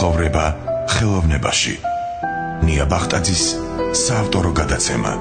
ცხოვრება ხელოვნებაში. ნია ბახტაძის საავტორო გადაცემა.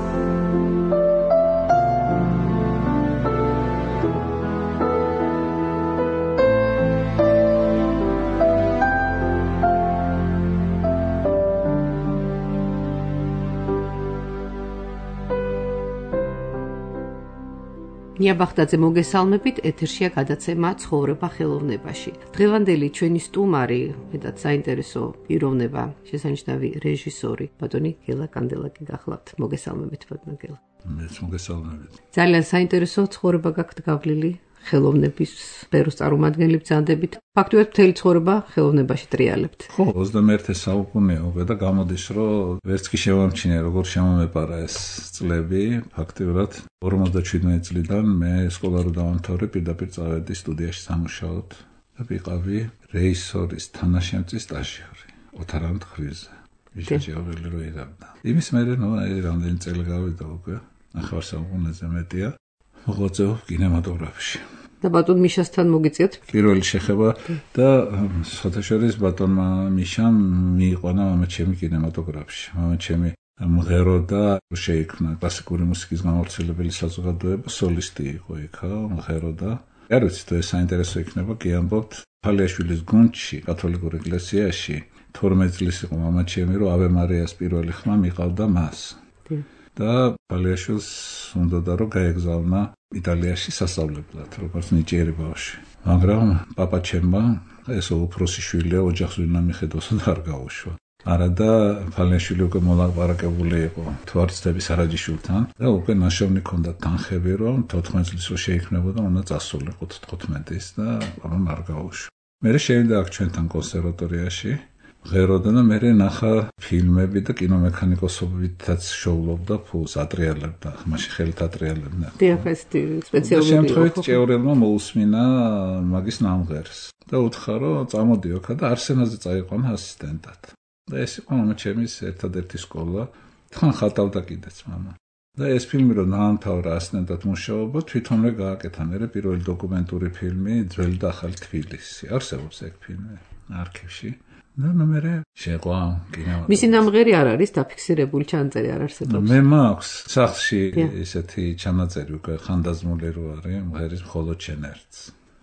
ნია ბახტაძე მოგესალმებით, ეთერშია გადაცემა ცხოვრება ხელოვნებაში. დღევანდელი ჩვენი სტუმარი, მეტად საინტერესო პიროვნება, შესანიშნავი რეჟისორი, ბატონი გელა კანდელაკი გახლავთ. მოგესალმებით, ბატონო გელა. მეც მოგესალმებით. ძალიან საინტერესო ცხოვრება გაქვთ გავლილი ხელოვნების სფეროს წარმომადგენლებს ძანდებით. ფაქტობრივად მთელი ცხოვრება ხელოვნებაში ტრიალებთ. ხო, 21 საუკუნეა უკვე და გამოდის, რომ ვერც კი შევამჩნიე, როგორ შემომეპარა ეს წლები. ფაქტობრივად 57 წლიდან მე სკოლა რო დავამთავრე, პირდაპირ წავედი სტუდიაში სამუშაოდ და ვიყავი რეჟისორის თანაშემწის სტაჟიორი ოთარ ამთხრიზე. ვიჟაჯაველი რო იღებდა. იმის მერე რამდენი წელი გავიდა უკვე, 9 საუკუნეზე მეტია. მოღვაწეობ კინემატოგრაფში. და ბატონ მიშასთან მოგიწიათ? პირველი შეხება და საერთაშორისო ბატონმა მიშამ მიიყვანა მამაჩემი კინემატოგრაფში. მამაჩემი მღეროდა, შეიქმნა კლასიკური მუსიკის გამავრცელებელი საზოგადოება, სოლისტი იყო იქა, მღეროდა. არ ვიცი თუ ეს საინტერესო იქნება, კი ამბობთ, ფალიაშვილის გუნდში, კათოლიკურ ეკლესიაში 12 წლის იყო მამაჩემი, რომ ავე მარიას პირველი ხმა მიყავდა მას. და ფალიაშვილს უნდოდა რომ გაეგზავნა იტალიაში სასწავლებლად, როგორც ნიჭიერი ბავშვი. მაგრამ პაპაჩემმა ესო უფროსი შვილია, ოჯახს ვინ ამიხედოს და არ გაუშვა. არადა ფალიაშვილი უკვე მოლაპარაკებული იყო თვარცდების არაჯიშვილთან და უკვე ნაშოვნი ჰქონდა თანხები, რომ 14 წლის რო შეიქმნებოდა, უნდა წასულიყო 15-ის და ამან არ გაუშვა. მერე შევიდა აქ ჩვენთან კონსერვატორიაში. ღეროდა და მე ნახა ფილმები და კინომექანიკოსობითაც შოულობდა ფულს, ატრიალებდა, მაშინ ხელით ატრიალებდა. დიახესტი სპეციალური იყო. შემთხვევით ჭეურელმა მოусმინა მაგის ნამღერს და უთხრა, რომ წამოდი ოქა და არსენაზე წაიყვანა ასისტენტად. და ეს იყო მამაჩემის ერთადერთი სკოლა, თან ხატავდა კიდეც მამა. და ეს ფილმი რომ დაამთავრა ასისტენტად მუშაობა, თვითონვე გააკეთა მერე პირველი დოკუმენტური ფილმი ძველი და ახალი თბილისი. არსებობს ეგ ფილმი არქივში. და მერე შეყვა კინო. მისი ნამღერი არ არის დაფიქსირებული ჩანაწერი არ არსებობს. მე მაქვს სახლში ესეთი ჩანაწერი უკვე ხანდაზმული რო არის, მღერის მხოლოდ შენ ერთს.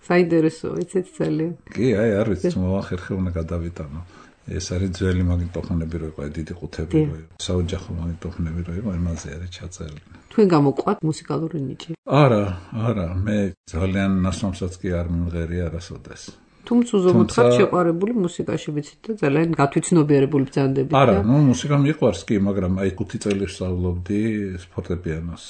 საინტერესოა, იცით ძალიან. კი, არ ვიცი, მოახერხე უნდა გადავიტანო. ეს არის ძველი მაგნიტოფონები რო იყო, დიდი ყუთები რო იყო, საოჯახო მაგნიტოფონები რო იყო, იმაზე არის ჩაწერილი. თქვენ გამოყვათ მუსიკალური ნიჭი? არა, მე ძალიან ნასვამსაც კი არ მიმღერია არასოდეს. თუმცა უზომოდ ხარ შეყვარებული მუსიკაში, ვიცით და ძალიან გათვითცნობიერებული ბრძანდებით. არა, მუსიკა მიყვარს კი, მაგრამ აი 5 წელი ვსწავლობდი ფორტეპიანოს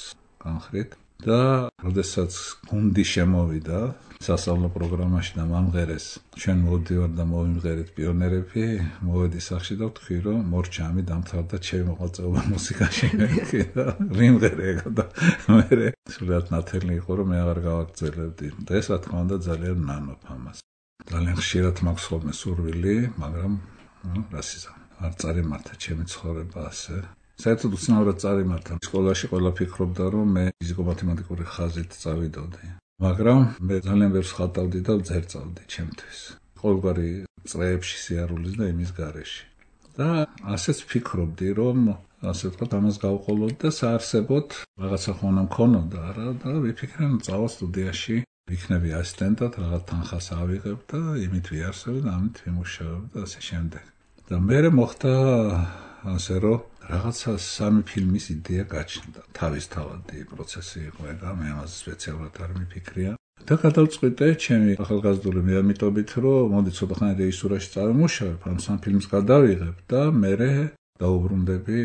განხრით და როდესაც გუნდი შემოვიდა სასწავლო პროგრამაში და მომღერეს, ჩვენ მოვდივართ და მოვიმღერეთ პიონერები, მოვედი სახში და ვთქვი, რომ მორჩამი დამთავრდა ჩემი მოღვაწეობა მუსიკაში და ვიმღერე და მე სულად ნათელი იყო, რომ მე აღარ გავაგრძელებდი. და ეს რა თქმა უნდა ძალიან ნანოფ ამას. ძალიან ხშირად მაქვს ხოლმე სურვილი, მაგრამ რა სიზა, არ წარიმართა ჩემი ცხოვრება ასე. საერთოდ უცნაურად წარიმართა. სკოლაში ყველა ფიქრობდა, რომ მე ფიზიკო-მათემატიკური ხაზით წავიდოდი. მაგრამ მე ძალიან ბევრს ხატავდი და ვძერწავდი ჩემთვის. ყოველგვარი წრეებში სიარულის და იმის გარეშე. და ასეც ფიქრობდი, რომ ასე ვთქვათ, ამას გავყოლოდ და საარსებოდ რაღაცა ხონა მქონოდა რა და ვიფიქრე, რომ წავალ სტუდიაში. ვიქნები ასისტენტად, რაღაც თანხას ავიღებ და იმით ვიარსებ და ამით ვიმუშავებ და ასე შემდეგ. და მერე მოხდა ასე რომ რაღაცა 3 ფილმის იდეა გაჩნდა. თავისთავადი პროცესი იყო ეგა, მე ამაზე სპეციალურად არ მიფიქრია. და გადავწყვიტე ჩემი ახალგაზრდული მიამიტობით, რომ მოდი ცოტახანი რეჟისურაში წავიმუშავებ, ამ 3 ფილმს გადავიღებ და მერე დაუბრუნდები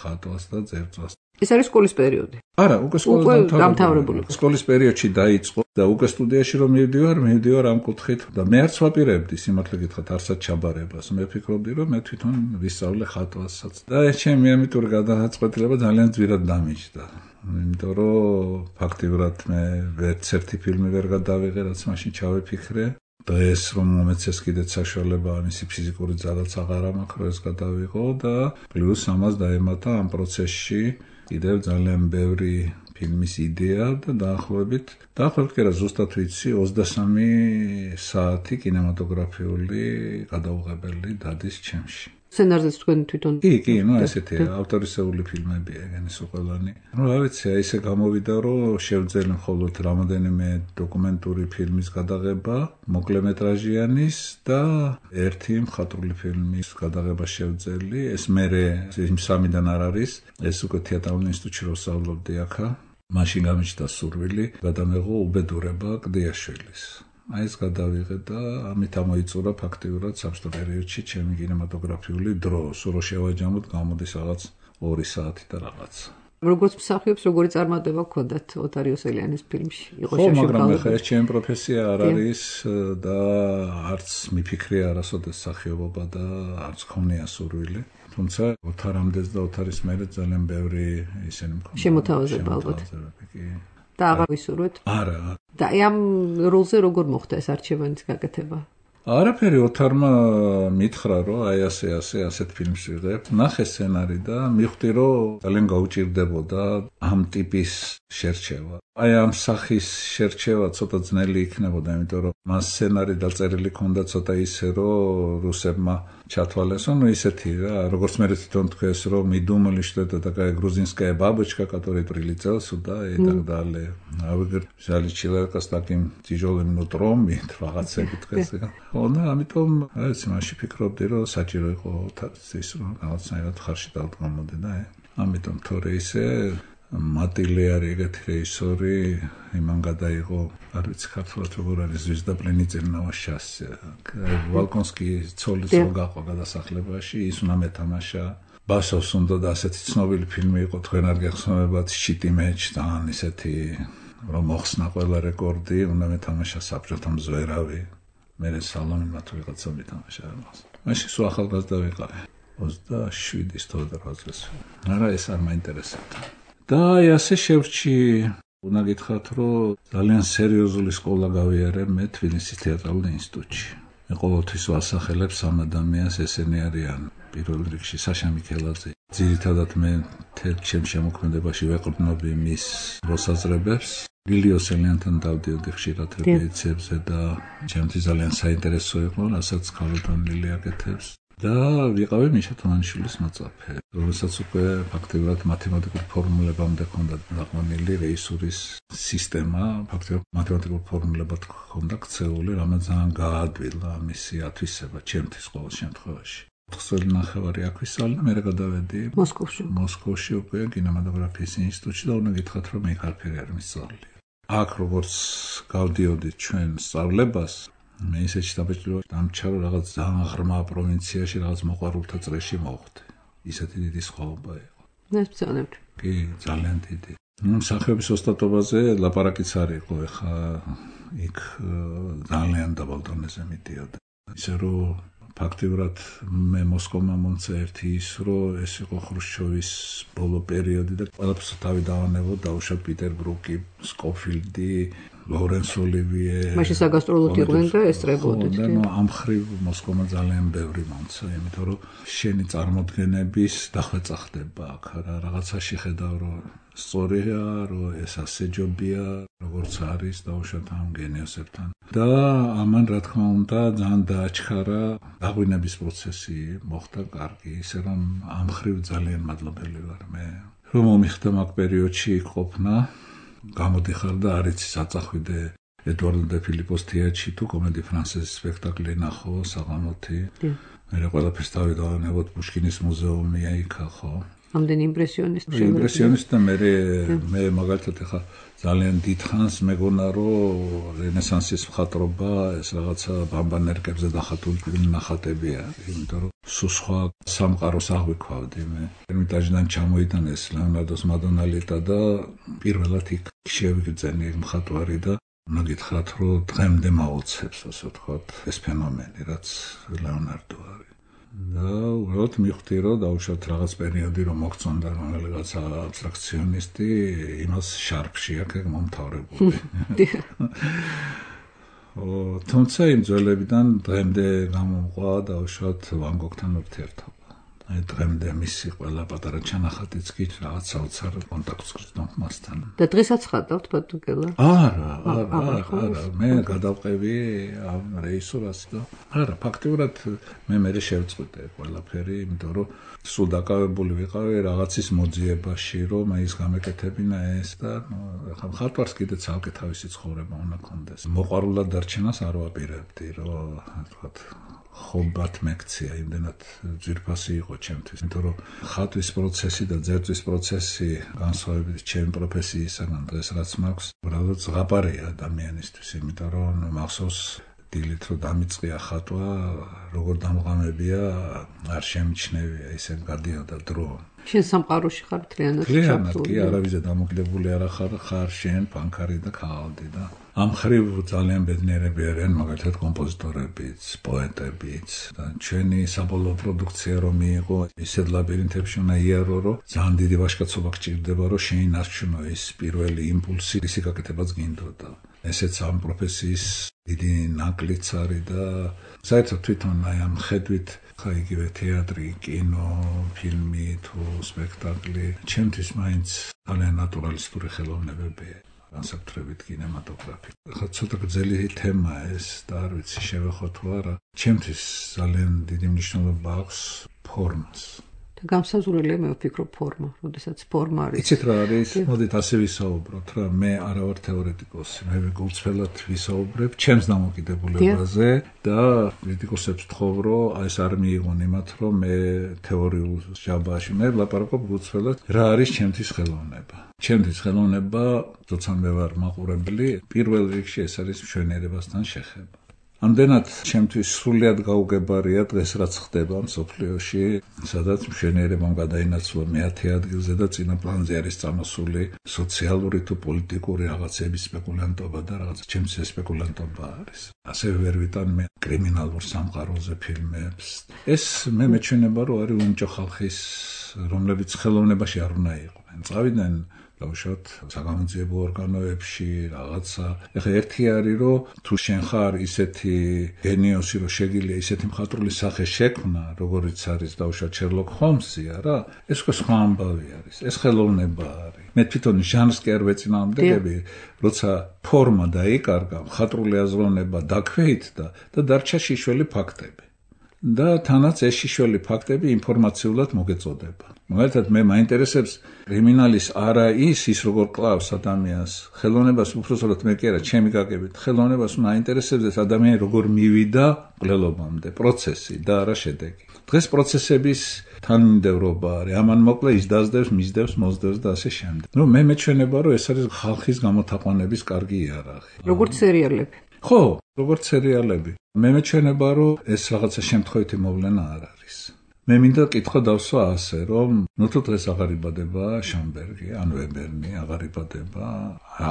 ხატვას და ძერწვას. ეს არის სკოლის პერიოდი. არა, უკვე სკოლა დამთავრებული. სკოლის პერიოდში დაიწყო და უკვე სტუდიაში რომ მივდივარ ამ კუთხით და მე არც ვაპირებდი სიმართლე გითხრათ არსად ჩაბარებას. მე ფიქრობდი, რომ მე თვითონ ვისწავლე ხატვასაც. და ეს ჩემი მიამიტური გადაწყვეტილება ძალიან ძვირად დამიჯდა. იმიტომ რომ ფაქტიურად მე ვერც ერთი ფილმი ვერ გადავიღე, რაც მაშინ ჩავიფიქრე. და ეს რომ მომეცეს კიდეც საშუალება მისი ფიზიკური ძალაც აღარ მაქვს, რომ ეს გადავიღო და პლუს ამას დაემატა ამ პროცესში კიდევ ძალიან ბევრი ფილმის იდეა და დაახლოებით კი არა ზუსტად ვიცი 23 საათი კინემატოგრაფიული გადაუღებელი დადის ჩემში. სცენარზეც თქვენ თვითონ კი, ესეთი ავტორისეული ფილმებია ეგენის უყელანი. რა ვიცი, ესე გამოვიდა, რომ შევძელი მხოლოდ რამოდენიმე დოკუმენტური ფილმის გადაღება, მოკლემეტრაჟიანის და ერთი მხატვრული ფილმის გადაღება შევძელი. ეს მერე იმ სამიდან არ არის, ეს უკვე თეატრალურ ინსტიტუტში რო სწავლობდი აქა. მაშინ გამიჩნდა სურვილი, გადამეღო უბედურება კლდიაშვილის. ეს გადავიღე და ამით ამოიწურა ფაქტიურად საბჭოთა პერიოდში ჩემი კინემატოგრაფიული დრო. სულ რო შევაჯამოთ, გამოდის რაღაც 2 საათი და რაღაც. როგორც მსახიობს, როგორი წარმატება გქონდათ ოთარ იოსელიანის ფილმში? იყო შევშევ. მაგრამ ახლა ეს ჩემი პროფესია არ არის და არც მიფიქრე არასოდეს მსახიობობა და არც ხონია სურვილი. თუმცა ოთარამდეც და ოთარის მერე ძალიან ბევრი ისინი მქონდა. შემოთავაზება ალბათ. და აღარ ვისურვეთ? არა. და ამ როლზე როგორ მოხდა ეს არჩევანის გაკეთება? არაფერი ოთარმა მითხრა, რომ ასეთ ფილმს ვიღებ. ნახე სცენარი და მიხვდი, რომ ძალიან გაუჭირდებოდა ამ ტიპის შერჩევა. ამ სახის შერჩევა ცოტა ძნელი იქნებოდა, იმიტომ რომ მას სცენარი დაწერილი ქონდა ცოტა ისე, რომ რუსებმა ჩათვალეს, ისეთი რა, როგორც მე თვითონ თქვეს, რომ мы думали, что это такая грузинская бабочка, которая прилетела сюда и так далее. А вы взяли человека с таким тяжелым нутром и რაღაცები თქვეს. და ამიტომ რაც მაშინ ფიქრობდი, რომ საჭირო იყო ის რომ რაღაცნაირად ხარში დავდგამოდე და ამიტომ თორე ისე მატილე ეგეთი რეჟისორი იმან გადაიღო, არ ვიცი ქართულად როგორ არის ზვიზდა პლენიცელნავა შასე. ვალკონსკი ცოლის რო გაყვა გადასახლებაში, ის უნდა მეთამაშა. ბასოვს უნდა და ასეთი ცნობილი ფილმი იყო, თქვენ არ გეხსოვებათ, შიტი მეჩ და ისეთი რომ მოხსნა ყველა რეკორდი, უნდა მეთამაშა საბჭოთა მზვერავი. მე სალონმა თუ ვიღაცა მეთამაშა ამას. მაშინ სულ ახალგაზრდა ვიყავი. 27-ის 28 წელს. არა, ეს არ მაინტერესებდა. და ასე შევრჩი, უნდა გითხრათ, რომ ძალიან სერიოზული სკოლა გავიარე მე თბილისის თეატრალურ ინსტიტუტში. მე ყოველთვის ვასახელებს ამ ადამიანს, ესენი არიან პირველ რიგში საშა მიქელაძე. ძირითადად მე თელ ჩემ შემოქმედებაში ვეყრდნობი მის მოსაზრებებს. ლილი იოსელიანთან დავდიოდი ხშირად რეპეტიციებზე და ჩემთვის ძალიან საინტერესო იყო, რასაც ქალოდან ლილი აკეთებს. და ვიყავი მიშა თამაშილის მოწაფე. რომელსაც უკვე ფაქტიურად მათემატიკურ ფორმულებამდე ჰქონდა დაყვანილი რეჟისურის სისტემა, ფაქტიურად მათემატიკურ ფორმულებად ჰქონდა ქცეული, რამაც ძალიან გაადვილა მისი ათვისება ჩემთვის ყოველ შემთხვევაში. 4 წელი ნახევარი აქ ვისწავლე, მე გადავედი მოსკოვში უკვე კინემატოგრაფიის ინსტიტუტში და უნდა გითხრათ, რომ მე არაფერი არ მისწავლე. აქ როგორც გავდიოდი ჩვენ სწავლებას, მე ისეთი დაბეჭდილება დამჩარო რაღაც ძალიან ღრმა პროვინციაში, რაღაც მოყვარულთა წრეში მოვხდი. ისეთი დიდი სხვაობა იყო. ნაცნობად. კი, ძალიან დიდი. მსახიობის ოსტატობაზე ლაპარაკიც არ იყო, ეხა იქ ძალიან დაბალ დონეზე მიდიოდა. ისე რომ ფაქტიურად მე მოსკოვმა მომცა ერთი ის, რომ ეს იყო ხრუშჩოვის ბოლო პერიოდი და ყველაფერს თავი დავანებო, დაუშვათ პიტერ ბრუკი, სკოფილდი, ლორენს ოლივიე. მაშინ საგასტროლოდ იყვნენ და ესწრებოდით. და ამ ხრივ მოსკოვმა ძალიან ბევრი მომცა, იმიტომ რომ შენი წარმოდგენების დახვეწა ხდება აქ, რაღაცა შეხედავ, რომ სწორია, რომ ეს ასეჯობია, როგორც არის დაუშვათ ამ გენიოსებთან. და ამან რა თქმა უნდა ძალიან დააჩქარა დაღვინების პროცესი მოხდა კარგი, ისე რომ ამ ხრივ ძალიან მადლობელი ვარ მე, რომ მომიხდა მაგ პერიოდში იქ ყოფნა. გამოდიხარ და არ იცი საწახვიდე ედუარდო დე ფილიპოს თეატრში თუ კომედი ფრანსეზის სპექტაკლი ნახო საღამოთი. მე ყველაფერს თავი დავანებოთ პუშკინის მუზეუმია იქა ხო. ამდენი იმპრესიონისტი. იმპრესიონისტი და მე მაგალითად ხა ძალიან დიდხანს მეგონა რომ რენესანსის მხატვრობა ეს რაღაცა ბამბანერკებზე დახატული ნახატებია, იმიტომ რომ სხვა სამყაროს აღვიქვავდი მე. ერმიტაჟიდან ჩამოიტანეს ლეონარდოს მადონალიტა და პირველად იქ შევიგრძენი მხატვარი და უნდა გითხრათ, რომ დღემდე მაოცებს, ასე ვთქვათ, ეს ფენომენი, რაც ლეონარდო არის. და უბრალოდ მიხვდი, რომ დაუშვათ რაღაც პერიოდი რომ მოგწონდა რომელიღაც აბსტრაქციონისტი, იმას შარფში აქ მომთავრებული. თუმცა იმ ძველებიდან დღემდე გამომყვა დაუშვათ ვან გოგთან ურთიერთობა. დღემდე მისი ყველა პატარა ჩანახატიც კი რაღაც საოცარ კონტაქტს გრძნობ მასთან. და დღესაც ხატავთ ბატონგელა? არა, მე გადავყევი ამ რეჟისორას და არა, ფაქტიურად მე შევწყვიტე ყველაფერი, იმიტომ რომ სულ დაკავებული ვიყავი რაღაცის მოძიებაში, რომ ის გამეკეთებინა ეს და ხა მხატვარს კიდე ცალკე თავისი ცხოვრება უნდა კონდეს. მოყვარულად დარჩენას არ ვაპირებდი, რომ თქვათ ხობათ მეკცია, იმდენად ძვირფასი იყო ჩემთვის, იმიტომ რომ ხატვის პროცესი და ძერწვის პროცესი განსხვავებით ჩემი პროფესიისაგან დღეს რაც მაქვს, უბრალოდ ზღაპარია ადამიანისთვის, იმიტომ რომ მახსოვს დილით რომ დამიწყია ხატვა, როგორ დამღამებია, არ შემჩნევია, ისე გადიოდა დრო. შენ სამყაროში ხარ მთლიანად ჩაფლული. კი, არავიზე დამოკიდებული არ ხარ შენ, პანკარი და ქაღალდი და ამ ხრივ ძალიან ბედნიერები არიან მაგალითად კომპოზიტორებიც, პოეტებიც და ჩვენი საბოლოო პროდუქცია რომ მიიღო, ისეთ ლაბირინთებში უნდა იარო, რომ ძალიან დიდი ვაჟკაცობა გჭირდება, რომ შენი ნარჩუნო ის პირველი იმპულსი, ისი გაკეთებაც გინდოდა. ესეც ამ პროფესიის დიდი ნაკლიც არის და საერთოდ თვითონ აი ამ ხედვით ხა იგივე თეატრი, კინო, ფილმი თუ სპექტაკლი ჩემთვის მაინც ძალიან ნატურალისტური ხელოვნებებია. განსაკუთრებით კინემატოგრაფი. ხა ცოტა გრძელი თემაა ეს და არ ვიცი შევეხო თუ არა. ჩემთვის ძალიან დიდი მნიშვნელობა აქვს ფორმას. და გამსაზღვრელია მე ვფიქრობ ფორმა, როდესაც ფორმა არის. იცით რა არის? მოდით ასე ვისაუბროთ რა, მე არა ვარ თეორეტიკოსი, მე გულწრფელად ვისაუბრებ ჩემს დამოკიდებულებაზე და კრიტიკოსებს ვთხოვ, რომ ეს არ მიიღონ იმათ, რომ მე თეორიულ ჟაბაში მე ვლაპარაკობ გულწრფელად, რა არის ჩემთვის ხელოვნება. ჩემთვის ხელოვნება, როცა მე ვარ მაყურებელი, პირველ რიგში ეს არის მშვენიერებასთან შეხება. ამდენად ჩემთვის სრულიად გაუგებარია დღეს რაც ხდება მსოფლიოში, სადაც მშვენიერებამ გადაინაცვლა მეათე ადგილზე და წინა პლანზე არის წამოსული სოციალური თუ პოლიტიკური რაღაცების სპეკულანტობა და რაღაც ჩემს სპეკულანტობა არის. ასევე ვერ ვიტან მე კრიმინალურ სამყაროზე ფილმებს. ეს მე მეჩვენება, რომ არის უნჭო ხალხის, რომლებიც ხელოვნებაში არ უნდა იყვნენ. წავიდნენ დავუშვათ საგამოძიებო ორგანოებში რაღაცა. ეხლა ერთი არის რომ თუ შენ ხარ ისეთი გენიოსი რომ შეგიძლია ისეთი მხატვრული სახე შექმნა, როგორიც არის დავუშვათ შერლოკ ჰოლმსი, არა? ეს სხვა ამბავი არის. ეს ხელოვნება არის. მე თვითონ ჟანრს კი არ ვეწინააღმდეგები, როცა ფორმა დაიკარგა, მხატვრული აზროვნება დაქვეითდა და დარჩა შიშველი ფაქტები. და თანაც ეს შიშველი ფაქტები ინფორმაციულად მოგეწოდება. მაგალითად მე მაინტერესებს კრიმინალის არა ის როგორ კლავს ადამიანს, ხელოვნებას უბრალოდ მე კი არა, ჩემი გაგებით, ხელოვნებას მაინტერესებს ეს ადამიანი როგორ მივიდა მკვლელობამდე, პროცესი და არა შედეგი. დღეს პროცესების თანმიმდევრობა არის, ამან მოკლე ის დაძდევს, მისდევს, მოსდევს და ასე შემდეგ. მე მეჩვენება, რომ ეს არის ხალხის გამოთაყვანების კარგი იარაღი. როგორც სერიალები. ხო, როგორც სერიალები. მე მეჩვენება, რომ ეს რაღაცა შემთხვევითი მოვლენა არ არის. მე მინდა კითხვა დავსვა ასე, რომ თუ დღეს აღარ იბადება შონბერგი, ან ვებერნი, აღარ იბადება,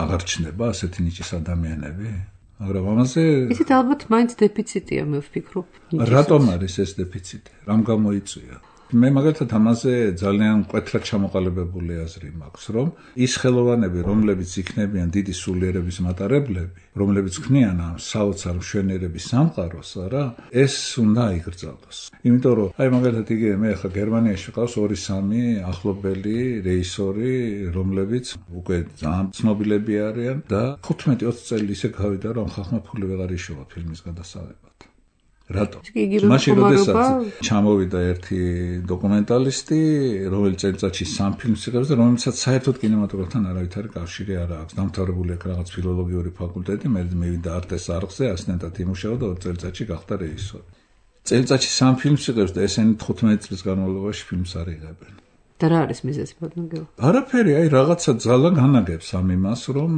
აღარ ჩნდება ასეთი ნიჭის ადამიანები, მაგრამ ამაზე ისეთ ალბათ მაინც დეფიციტია, მე ვფიქრობ. რატომ არის ეს დეფიციტი? რამ გამოიწვია? მე მაგალითად ამაზე ძალიან მკვეთრად ჩამოყალიბებული აზრი მაქვს, რომ ის ხელოვანები, რომლებიც იქნებიან დიდი სულიერების მატარებლები, რომლებიც ქმნიან ამ საოცარ მშვენიერების სამყაროს, არა, ეს უნდა აიგრძალოს. იმიტომ რომ აი მაგალითად იგივე მე ახლა გერმანიაში ვიყავს 2-3 ახლობელი რეჟისორი, რომლებიც უკვე ძალიან ცნობილები არიან და 15-20 წელი ისე გავიდა, რომ ხალხმა ფული ვეღარ იშოვა ფილმის გადასაღებად. რატო? მაშინ როდესაც ჩამოვიდა ერთი დოკუმენტალისტი, რომელიც წელიწადში 3 ფილმს იღებს და რომელსაც საერთოდ კინემატოგრაფთან არავითარი კავშირი არ აქვს. დამთავრებული აქვს რაღაც ფილოლოგიური ფაკულტეტი, მე მივიდა არტეს არხზე, ასისტენტად იმუშავა და 2 წელიწადში გახდა რეჟისორი. წელიწადში 3 ფილმს იღებს და ესენი 15 წლის განმავლობაში ფილმს არ იღებენ. და რა არის მიზეზი ბატონო? არაფერი, აი რაღაცა ძალა განაგებს ამ იმას, რომ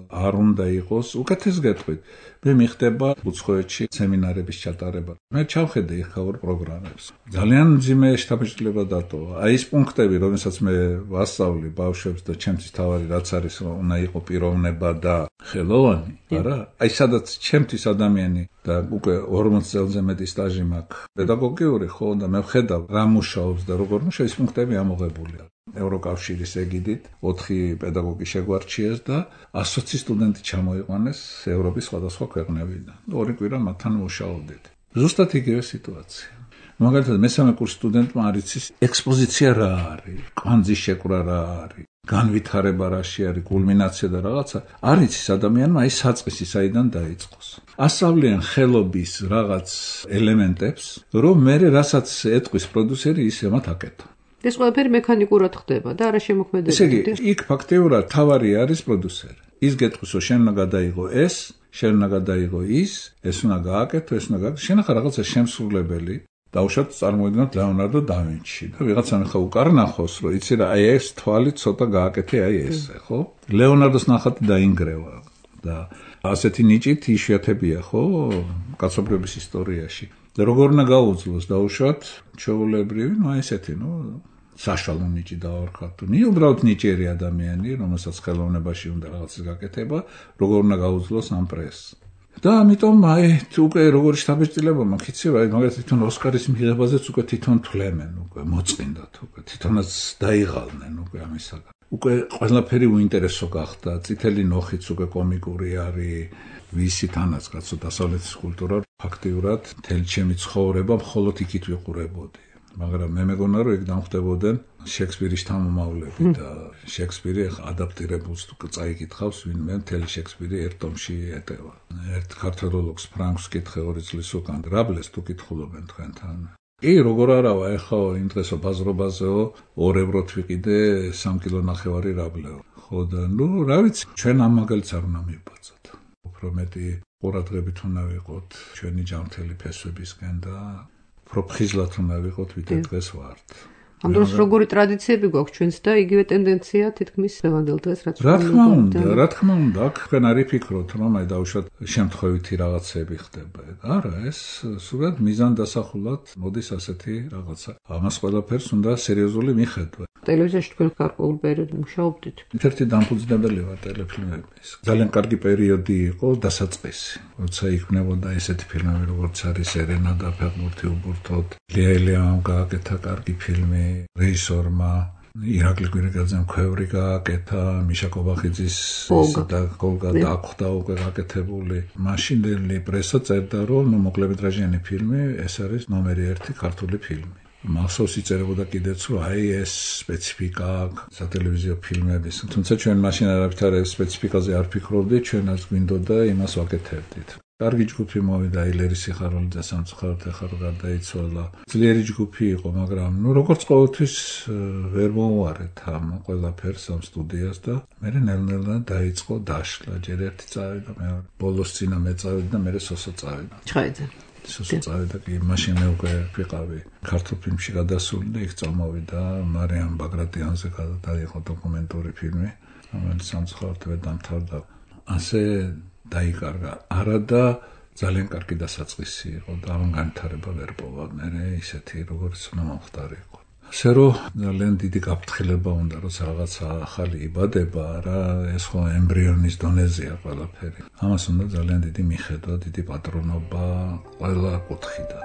არ უნდა იყოს, უკეთეს გეტყვით. მე მიხდება უცხოეთში სემინარების ჩატარება. მე ჩავხედე ეხაურ პროგრამებს. ძალიან მძიმე შთაბეჭდილება დატოვა. აი ეს პუნქტები, რომელსაც მე ვასწავლი ბავშვებს და ჩემთვის თავარი რაც არის, რომ უნდა იყოს პიროვნება და ხელოვანი, არა? აი სადაც ჩემთვის ადამიანი და უკვე 40 წელზე მეტი სტაჟი მაქვს. პედაგოგიური ხო და მე ვხედავ რა მუშაობს და როგორ მუშაობს, ეს პუნქტები ამოღებულია. ევროკავშირის ეგიდით 4 პედაგოგი შეგვარჩიეს და 120 სტუდენტი ჩამოიყვანეს ევროპის სხვადასხვა ქვეყნებიდან. 2 კვირა მათთან მუშაობდით. ზუსტად იგივე სიტუაცია. მაგალითად მესამე კურსის სტუდენტმა არ იცის ექსპოზიცია რა არის, კვანძის შეკვრა რა არის, განვითარება რაში არის, კულმინაცია და რაღაცა. არ იცის ადამიანმა აი საწყისი საიდან დაიწყოს. ასწავლიან ხელობის რაღაც ელემენტებს, რომ მე რასაც ეტყვის პროდიუსერი ის მათ აკეთო. ეს ყველაფერი მექანიკურად ხდება და არა შემოქმედებითი. ესე იგი, იქ ფაქტიურად თავარი არის პროდიუსერი. ის გეტყვის, რომ შენ უნდა გადაიღო ეს, შენ უნდა გადაიღო ის უნდა გააკეთო, ეს უნდა გააკეთო. შენ ახლა რაღაცა შემსრულებელი დავუშვათ წარმოიდგინოთ ლეონარდო და ვინჩი და ვიღაცამ ხა უკარნახოს, რომ იცი რა, აი ეს თვალი ცოტა გააკეთე, აი ესე, ხო? ლეონარდოს ნახატი დაინგრევა და ასეთი ნიჭით იშვიათებია, ხო, კაცობრიობის ისტორიაში. და როგორ უნდა გაუძლოს დავუშვათ ჩვეულებრივი, აი ესეთი, საშუალო ნიჭი დავარქათ. უბრალოდ ნიჭიერი ადამიანი, რომელსაც ხელოვნებაში უნდა რაღაცის გაკეთება, როგორ უნდა გაუძლოს ამ პრესს. და ამიტომ აი უკვე როგორი შთაბეჭდილება მაქვს, იცი რა, მაგალითად თვითონ ოსკარის მიღებაზეც უკვე თვითონ თვლემენ, უკვე მოწყინდათ, უკვე თვითონაც დაიღალნენ უკვე ამისაგან. უკვე ყველაფერი უინტერესო გახდა, წითელი ნოხიც უკვე კომიკური არის, ვისი თანაც კაცო დასავლეთის კულტურა ფაქტიურად მთელი ჩემი ცხოვრება მხოლოდ იქით ვიყურებოდი. მაგრამ მე მეგონა რომ ეგ დამხვდებოდნენ შექსპირის თანამომავლები და შექსპირი ადაპტირებულს თუ წაიკითხავს ვინმე მთელი შექსპირი ერთ ტომში ეტევა. ერთ ქართველოლოგს ფრანკს კითხე 2 წლის უკან რაბლეს თუ კითხულობენ თქვენთან. კი, როგორ არავა, ეხლა იმ დღესო ბაზრობაზეო 2 ევროთ ვიყიდე 3 კილო ნახევარი რაბლეო. ხო და რა ვიცი, ჩვენ ამ მაგალითს არ უნდა მივბაძოთ. უფრო მეტი ყურადღებით უნდა ვიყოთ ჩვენი ჯანმრთელი ფესვებისკენ და პროფხიზლად უნდა ვიყოთ ვიდრე დღეს ვართ. ამ დროს როგორი ტრადიციები გვაქვს ჩვენს და იგივე ტენდენცია თითქმის დღევანდელ დღეს რაც რა თქმა უნდა, აქ თქვენ არ იფიქროთ, რომ აი დავუშვათ შემთხვევითი რაღაცები ხდება. არა, ეს სულად მიზან დასახულად მოდის ასეთი რაღაცა. ამას ყველაფერს უნდა სერიოზული მიხედვა. ტელევიზიაში თქვენ გარკვეულ პერიოდში მუშაობდით. ერთ-ერთი დამფუძნებელი ვარ ტელეფილმების. ძალიან კარგი პერიოდი იყო დასაწყისი. როცა იქმნებოდა ესეთი ფილმები, როგორც არის ერენა და ფეხბურთი უბურთოდ, ლია ელიამ გააკეთა კარგი ფილმი, რეჟისორმა ირაკლი კვირიკაძემ ქვევრი გააკეთა, მიშა კობახიძის და გოლგა დახვდა უკვე გაკეთებული. მაშინდელი პრესა წერდა, რომ მოკლემეტრაჟიანი ფილმი ეს არის ნომერი 1 ქართული ფილმი. მახსოვს იწერებოდა კიდეც, რომ აი ეს სპეციფიკა სატელევიზიო ფილმების. თუმცა ჩვენ მაშინ არაფერ სპეციფიკაზე არ ფიქრობდით, ჩვენაც გვინდოდა იმას ვაკეთებდით. კარგი ჯგუფი მოვიდა, ილერი სიხარულიძე სამწუხაროდ ახლა გარდაიცვალა. ძლიერი ჯგუფი იყო, მაგრამ როგორც ყოველთვის ვერ მოვარეთ ამ ყველაფერს ამ სტუდიას და მე ნელ-ნელა დაიწყო დაშლა. ჯერ ერთი წავიდა, მეორე ბოლოს წინა მე წავედი და მე სოსო წავიდა. ჩხაიძე. სოსო წავიდა კი, მაშინ მე უკვე ვიყავი ქართულ ფილმში გადასული და იქ წამოვიდა მარიამ ბაგრატიანზე გადაიღო დოკუმენტური ფილმი, რომელიც სამწუხაროდ ვერ დამთავრდა. ასე დაიკარგა. არა და ძალიან კარგი დასაწყისი იყო და ამ განვითარება ვერ პოვა მე ისეთი როგორც უნდა მომხდარიყო. ასე რომ ძალიან დიდი გაფრთხილება უნდა, როცა რაღაცა ახალი იბადება, რა ეს ხო ემბრიონის დონეზეა ყველაფერი. ამას უნდა ძალიან დიდი მიხედვა, დიდი პატრონობა ყველა კუთხიდან.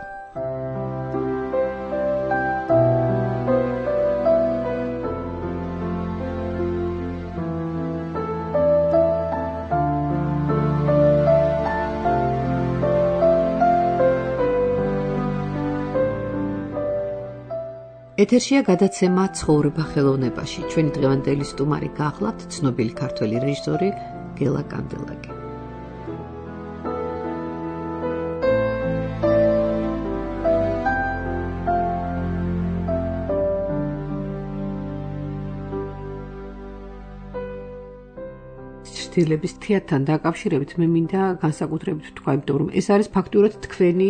ეთერშია გადაცემა ცხოვრება ხელოვნებაში. ჩვენი დღევანდელი სტუმარი გახლავთ ცნობილი ქართველი რეჟისორი გელა კანდელაკი. დილების თეატრთან დაკავშირებით მე მინდა განსაკუთრებით ვთქვა, იმიტომ რომ ეს არის ფაქტურად თქვენი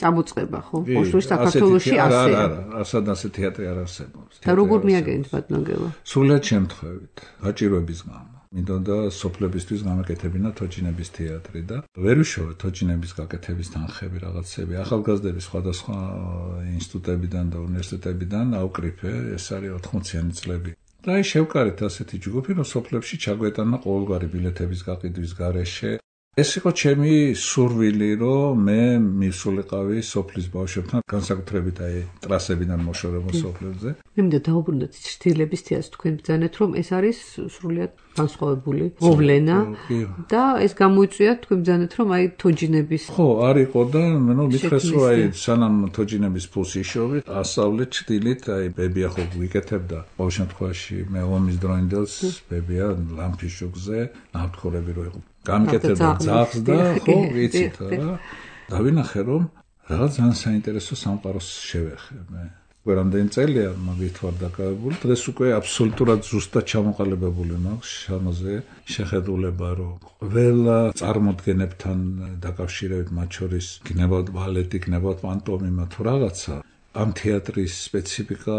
წამოწყება, ხო? ოშტრის საქართველოში ასე. არა, ასე თეატრი არ არსებობს. და როგორ მიაგენთ ბატონო გელა? სრულად შემთხვევით, გაჭირვების გამო. მინდოდა სოფლებისთვის გამაკეთებინა თოჯინების თეატრი და ვერ ვიშოვე თოჯინების გაკეთების თანხები რაღაცები. ახალგაზრდების სხვადასხვა ინსტიტუტებიდან და უნივერსიტეტებიდან აუკრიფე, ეს არის 80-იანი წლები. და აი შევკარეთ ასეთი ჯგუფი, რომ სოფლებში ჩაგვეტანა ყოველგვარი ბილეთების გაყიდვის გარეშე ეს იყო ჩემი სურვილი, რომ მე მივსულიყავი სოფლის ბავშვებთან, განსაკუთრებით აი ტრასებიდან მოშორებულ სოფლებზე. მე მინდა დავუბრუნდეთ ჩრდილების თეატრს, თქვენ ბრძანეთ, რომ ეს არის სრულიად განსხვავებული მოვლენა და ეს გამოიწვია, თქვენ ბრძანეთ, რომ აი თოჯინების ხო, არ იყო და ნუ მითხრეს, რომ აი სანამ თოჯინების ფულს იშოვით, ასავლეთ ჩრდილით, აი ბებია ხო ვიკეთებდა ყოველ შემთხვევაში მე ომის დროინდელს ბებია ლამპის შუქზე ნავთქორები რო იყო გამიკეთებდა ძაღლს და ხო ვიცით რა დავინახე რომ რაღაც ძალიან საინტერესო სამყაროს შევეხე მე გვერამდენ წელია მაგით ვარ დაკავებული დღეს უკვე აბსოლუტურად ზუსტად ჩამოყალიბებული მაქვს შამოზე შეხედულება რომ ყველა წარმოდგენებთან დაკავშირებით მათ შორის გნებავთ ბალეტი გნებავთ პანტომიმა თუ რაღაცა ამ თეატრის სპეციფიკა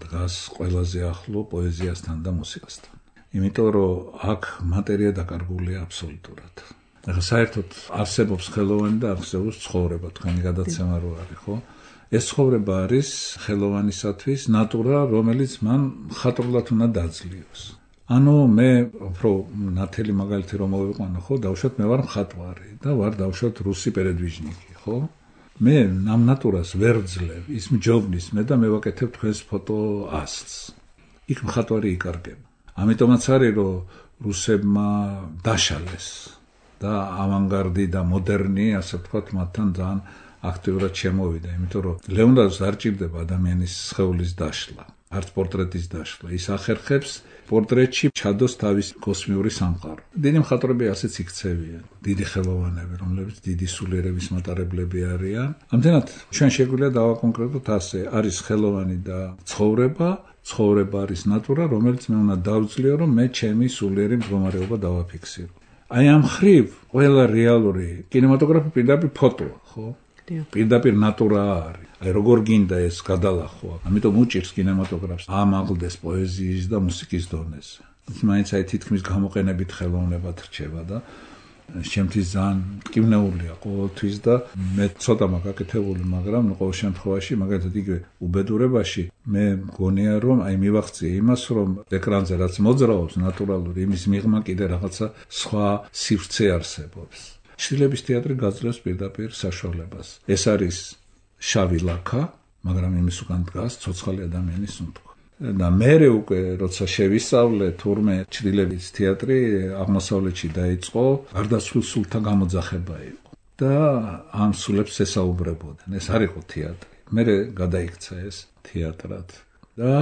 დგას ყველაზე ახლო პოეზიასთან და მუსიკასთან იმიტომ რომ აქ მატერია დაკარგულია აბსოლუტურად. ახლა საერთოდ არსებობს ხელოვანი და არსებობს ცხოვრება, თქვენი გადაცემა რო არის, ხო? ეს ცხოვრება არის ხელოვანისათვის ნატურა, რომელიც მან მხატვრულად უნდა დაძლიოს. ანუ მე უფრო ნათელი მაგალითი რომ მოვიყვანო, ხო, დავუშვათ მე ვარ მხატვარი და ვარ დავუშვათ რუსი პერედვიჟნიკი, ხო? მე ამ ნატურას ვერ ვძლევ, ის მჯობნის მე და მე ვაკეთებ თქვენს ფოტო ასლს. იქ მხატვარი იკარგება. ამიტომაც არის რომ რუსებმა დაშალეს და ავანგარდი და მოდერნი ასე ვთქვათ მათთან ძალიან აქტიურად შემოვიდა იმიტომ რომ ლეონარდოს არ ჭირდება ადამიანის სხეულის დაშლა არც პორტრეტის დაშლა ის ახერხებს პორტრეტში ჩადოს თავის კოსმიური სამყარო დიდი მხატვრები ასეც იქცევიან დიდი ხელოვანები რომლებიც დიდი სულიერების მატარებლები არიან ამდენად ჩვენ შეგვიძლია დავაკონკრეტოთ ასე არის ხელოვანი და ცხოვრება არის ნატურა, რომელიც მე უნდა დავძლიო, რომ მე ჩემი სულიერი მდგომარეობა დავაფიქსირო. აი ამ ხრივ ყველა რეალური კინემატოგრაფი პირდაპირ ფოტოა, ხო? პირდაპირ ნატურა არის. აი როგორ გინდა ეს გადალახვა. ამიტომ უჭირს კინემატოგრაფს ამაღლდეს პოეზიის და მუსიკის დონეზე. ის მაინც აი თითქმის გამოყენებით ხელოვნებად რჩება და შემთხვევით ძალიან მტკივნეულია ყოველთვის და მე ცოტა მაგაკეთებული, მაგრამ ყოველ შემთხვევაში, მაგალითად იგივე უბედურებაში მე მგონია რომ აი მივახციე იმას, რომ ეკრანზე რაც მოძრაობს ნატურალური, იმის მიღმა კიდე რაღაცა სხვა სივრცე არსებობს. ჩრდილების თეატრი გაძლევს პირდაპირ საშუალებას. ეს არის შავი ლაქა, მაგრამ იმის უკან დგას ცოცხალი ადამიანის სუნთქვა. და მერე უკვე როცა შევისწავლე თურმე ჩრდილების თეატრი აღმოსავლეთში დაიწყო გარდაცვლილ სულთა გამოძახება იყო და ამ სულებს ესაუბრებოდნენ ეს არ იყო თეატრი მერე გადაიქცა ეს თეატრად და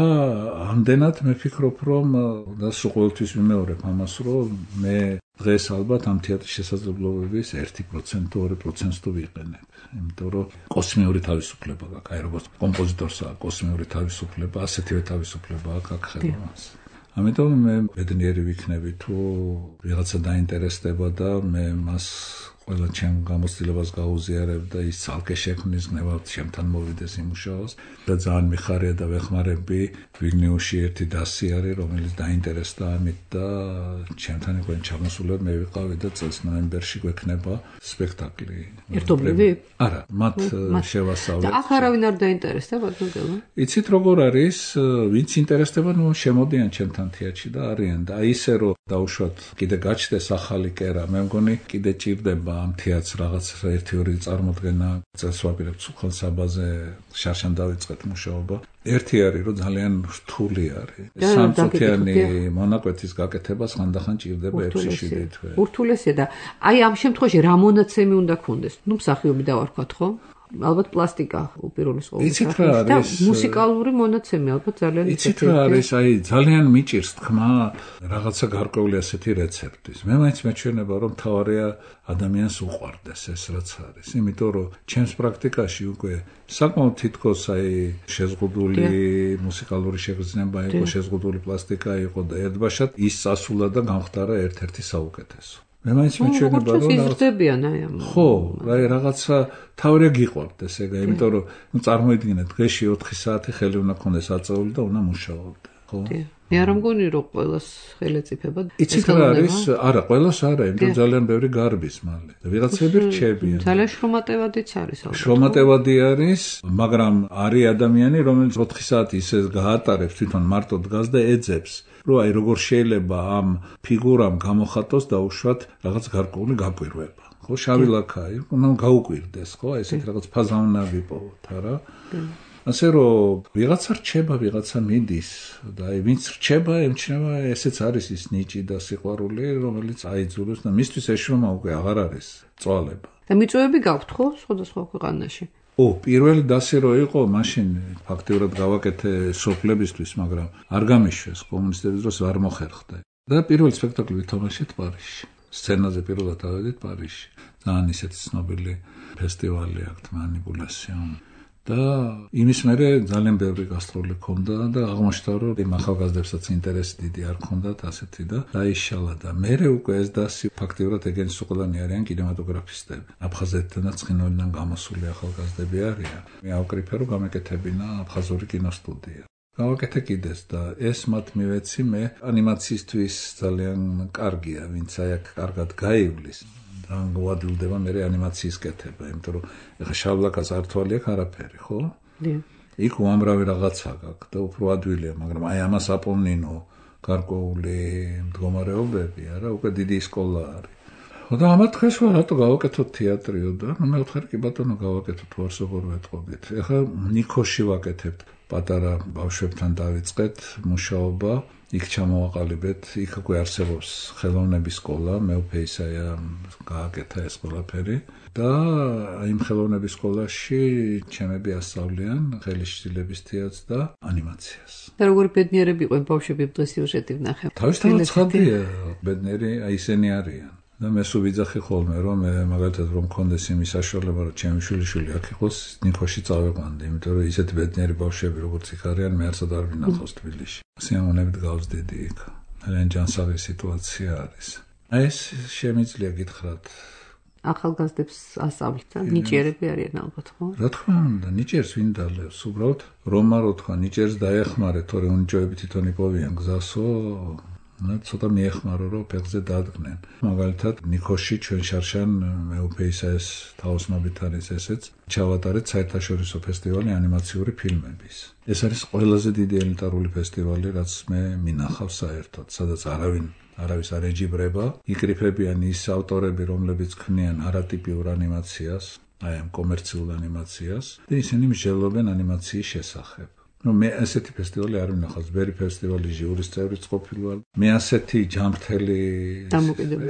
ამდენად მე ვფიქრობ რომ და სულ ყოველთვის ვიმეორებ ამას რომ მე დღეს ალბათ ამ თეატრის შესაძლებლობების 1% 2% თუ ვიყენებ იმიტომ რომ კოსმიური თავისუფლება გაქვს აი როგორც კომპოზიტორს აქვს კოსმიური თავისუფლება ასეთივე თავისუფლება აქვს ხელოვნებას ამიტომ მე ბედნიერი ვიქნები თუ ვიღაცა დაინტერესდება და მე მას ყველა ჩემ გამოცდილებას გაუზიარებ და ის ცალკე შექმნის გნებავთ ჩემთან მოვიდეს იმუშაოს და ძალიან მიხარია და ვეხმარები ვილნიუსში ერთი დასი არის რომელიც დაინტერესდა ამით და ჩემთან იყო ჩამოსულები მე ვიყავი და წელს ნოემბერში გვექნება სპექტაკლი ერთობლივი? არა მათ შევასწავლეთ და აქ არავინ არ დაინტერესდა ბატონო იცით როგორ არის ვინც ინტერესდება ნუ შემოდიან ჩემთან თეატრში და არიან და აი ისე რომ დაუშვათ კიდე გაჩნდეს ახალი კერა მე მგონი კიდე ჭირდება ამ თეატრს რაღაც ერთი-ორი წარმოდგენა წელს ვაპირებთ სულ საბაზე შარშან დავიწყეთ მუშაობა ერთი არის რომ ძალიან რთული არის სამწუთიანი მონაკვეთის გაკეთებას ხანდახან ჭირდება 6-7 თვე ურთულესია და აი ამ შემთხვევაში რა მონაცემი უნდა გქონდეს ნუ მსახიობი დავარქვათ ხო ალბათ პლასტიკა უპირველეს ყოვლისა და მუსიკალური მონაცემი ალბათ ძალიან იცით რა არის აი ძალიან მიჭირს თქმა რაღაცა გარკვეული ასეთი რეცეპტის მე მაინც მეჩვენება რომ თავარია ადამიანს უყვარდეს ეს რაც არის იმიტომ რომ ჩემს პრაქტიკაში უკვე საკმაოდ თითქოს აი შეზღუდული მუსიკალური შეგრძნება იყო შეზღუდული პლასტიკა იყო და ერთბაშად ის წასულა და გამختარა ერთ-ერთი საუკეთესო მე მაინც მეჩვენება რომ იზრდებიან აი ამ ხო აი რაღაცა თავრია გიყვარდეს ეგა იმიტომ რომ ნუ წარმოიდგინეთ დღეში 4 საათი ხელი უნდა ქონდეს აწეული და უნდა მუშაობდე ხო მე არ მგონი რომ ყველას ხელეწიფება იცით რა არის არა ყველას არა იმიტომ ძალიან ბევრი გარბის მალე და ვიღაცები რჩებიან ძალიან შრომატევადიც არის ალბათ შრომატევადი არის მაგრამ არის ადამიანი რომელიც 4 საათი ისე გაატარებს თვითონ მარტო დგას და ეძებს რომ აი როგორ შეიძლება ამ ფიგურამ გამოხატოს დაუშვათ რაღაც გარკვეული გაკვირვება. ხო, შავი ლაქაი, უნდა გაუკვირდეს, ხო, აი ესეთ რაღაც ფაზავნა ვიპოვოთ, არა? ასე რომ ვიღაცა რჩება, ვიღაცა მიდის და აი ვინც რჩება, ემჩნევა, ესეც არის ის ნიჭი და სიყვარული, რომელიც აიძულებს და მისთვის ეშრომა უკვე აღარ არის წვალება. და მიწვევები გაქვთ ხო სხვადასხვა ქვეყანაში? პირველი დასი რო იყო, მაშინ ფაქტიურად გავაკეთე სოფლებისთვის, მაგრამ არ გამიშვეს კომუნისტების დროს არ მოხერხდა. და პირველი სპექტაკლი ვითამაშეთ პარიზში. სცენაზე პირველად ავედით პარიზში. ძალიან ისეთი ცნობილი ფესტივალი აქვს მანიპულაციონ. და იმის მერე ძალიან ბევრი გასტროლი ჰქონდა და აღმოჩნდა რომ იმ ახალგაზრდებსაც ინტერესი დიდი არ ჰქონდათ ასეთი და დაიშალა და მერე უკვე ეს დასი ფაქტიურად ეგენის უყოლანი არიან კინემატოგრაფისტები. აფხაზეთიდან და ცხინვალიდან გამოსული ახალგაზრდები არიან. მე ავკრიფე რომ გამეკეთებინა აფხაზური კინოსტუდია. გავაკეთე კიდეს და ეს მათ მივეცი მე ანიმაციისთვის ძალიან კარგია, ვინც აი აქ კარგად გაივლის. და გვადილდება მე ანიმაციის კეთება, იმიტომ რომ ეხა შავლაკას ართვალი აქვს არაფერი, ხო? იქ უამრავი რაღაცა გაქვს და უფრო ადვილია, მაგრამ აი ამას აპოვნინო გარკვეული მდგომარეობები, არა, უკვე დიდი სკოლა არის. და ამათ დღეს რატო გავაკეთოთ თეატრიო და მე ვთხარი კი ბატონო გავაკეთოთ ვარსობორ ვეთყობით. ეხა ნიქოში ვაკეთებთ, პატარა ბავშვებთან დავიწყეთ მუშაობა. იქ ჩამოვაყალიბეთ, იქ უკვე არსებობს ხელოვნების სკოლა, მეუფეისაია გააკეთა ეს ყველაფერი და იმ ხელოვნების სკოლაში ჩემები ასწავლიან ხელისშლების თეატრს და ანიმაციას. და როგორი ბედნიერები იყვნენ ბავშვები დღეს სიუჟეტი ვნახე. თავისთავად ცხადია, ბედნიერი აი ისინი არიან. და მე სულ ვიძახი ხოლმე რომ მე მაგალითად რომ მქონდეს იმის საშუალება რომ ჩემი შვილიშვილი აქ იყოს ნიქოში წავეყვანდი, იმიტომ რომ ისეთი ბედნიერი ბავშვები როგორც იქ არიან მე არცად არ ვინახავს თბილისში. სიამოვნებით გავს დიდი იქ. ძალიან ჯანსაღი სიტუაცია არის. აი ეს შემიძლია გითხრათ. ახალგაზრდებს ასწავლით და ნიჭიერები არიან ალბათ, ხო? რა თქმა უნდა, ნიჭიერს ვინ დალევს? უბრალოდ რომა რო თქვა ნიჭიერს დაეხმარე, თორე უნიჭოები თვითონ იპოვიან გზასო. ცოტა მიეხმარო რომ ფეხზე დადგნენ. მაგალითად ნიქოში ჩვენ შარშან მეუფეისაეს თაოსნობით არის ესეც ჩავატარეთ საერთაშორისო ფესტივალი ანიმაციური ფილმების. ეს არის ყველაზე დიდი ელიტარული ფესტივალი, რაც მე მინახავს საერთოდ, სადაც არავის არ ეჯიბრება, იკრიფებიან ის ავტორები, რომლებიც ქმნიან არატიპიურ ანიმაციას, აი ამ კომერციულ ანიმაციას და ისინი მსჯელობენ ანიმაციის შესახებ. მე ასეთი ფესტივალი არ ვნახავს, ბევრი ფესტივალი ჟიურის წევრიც ყოფილვარ. მე ასეთი ჯანმრთელი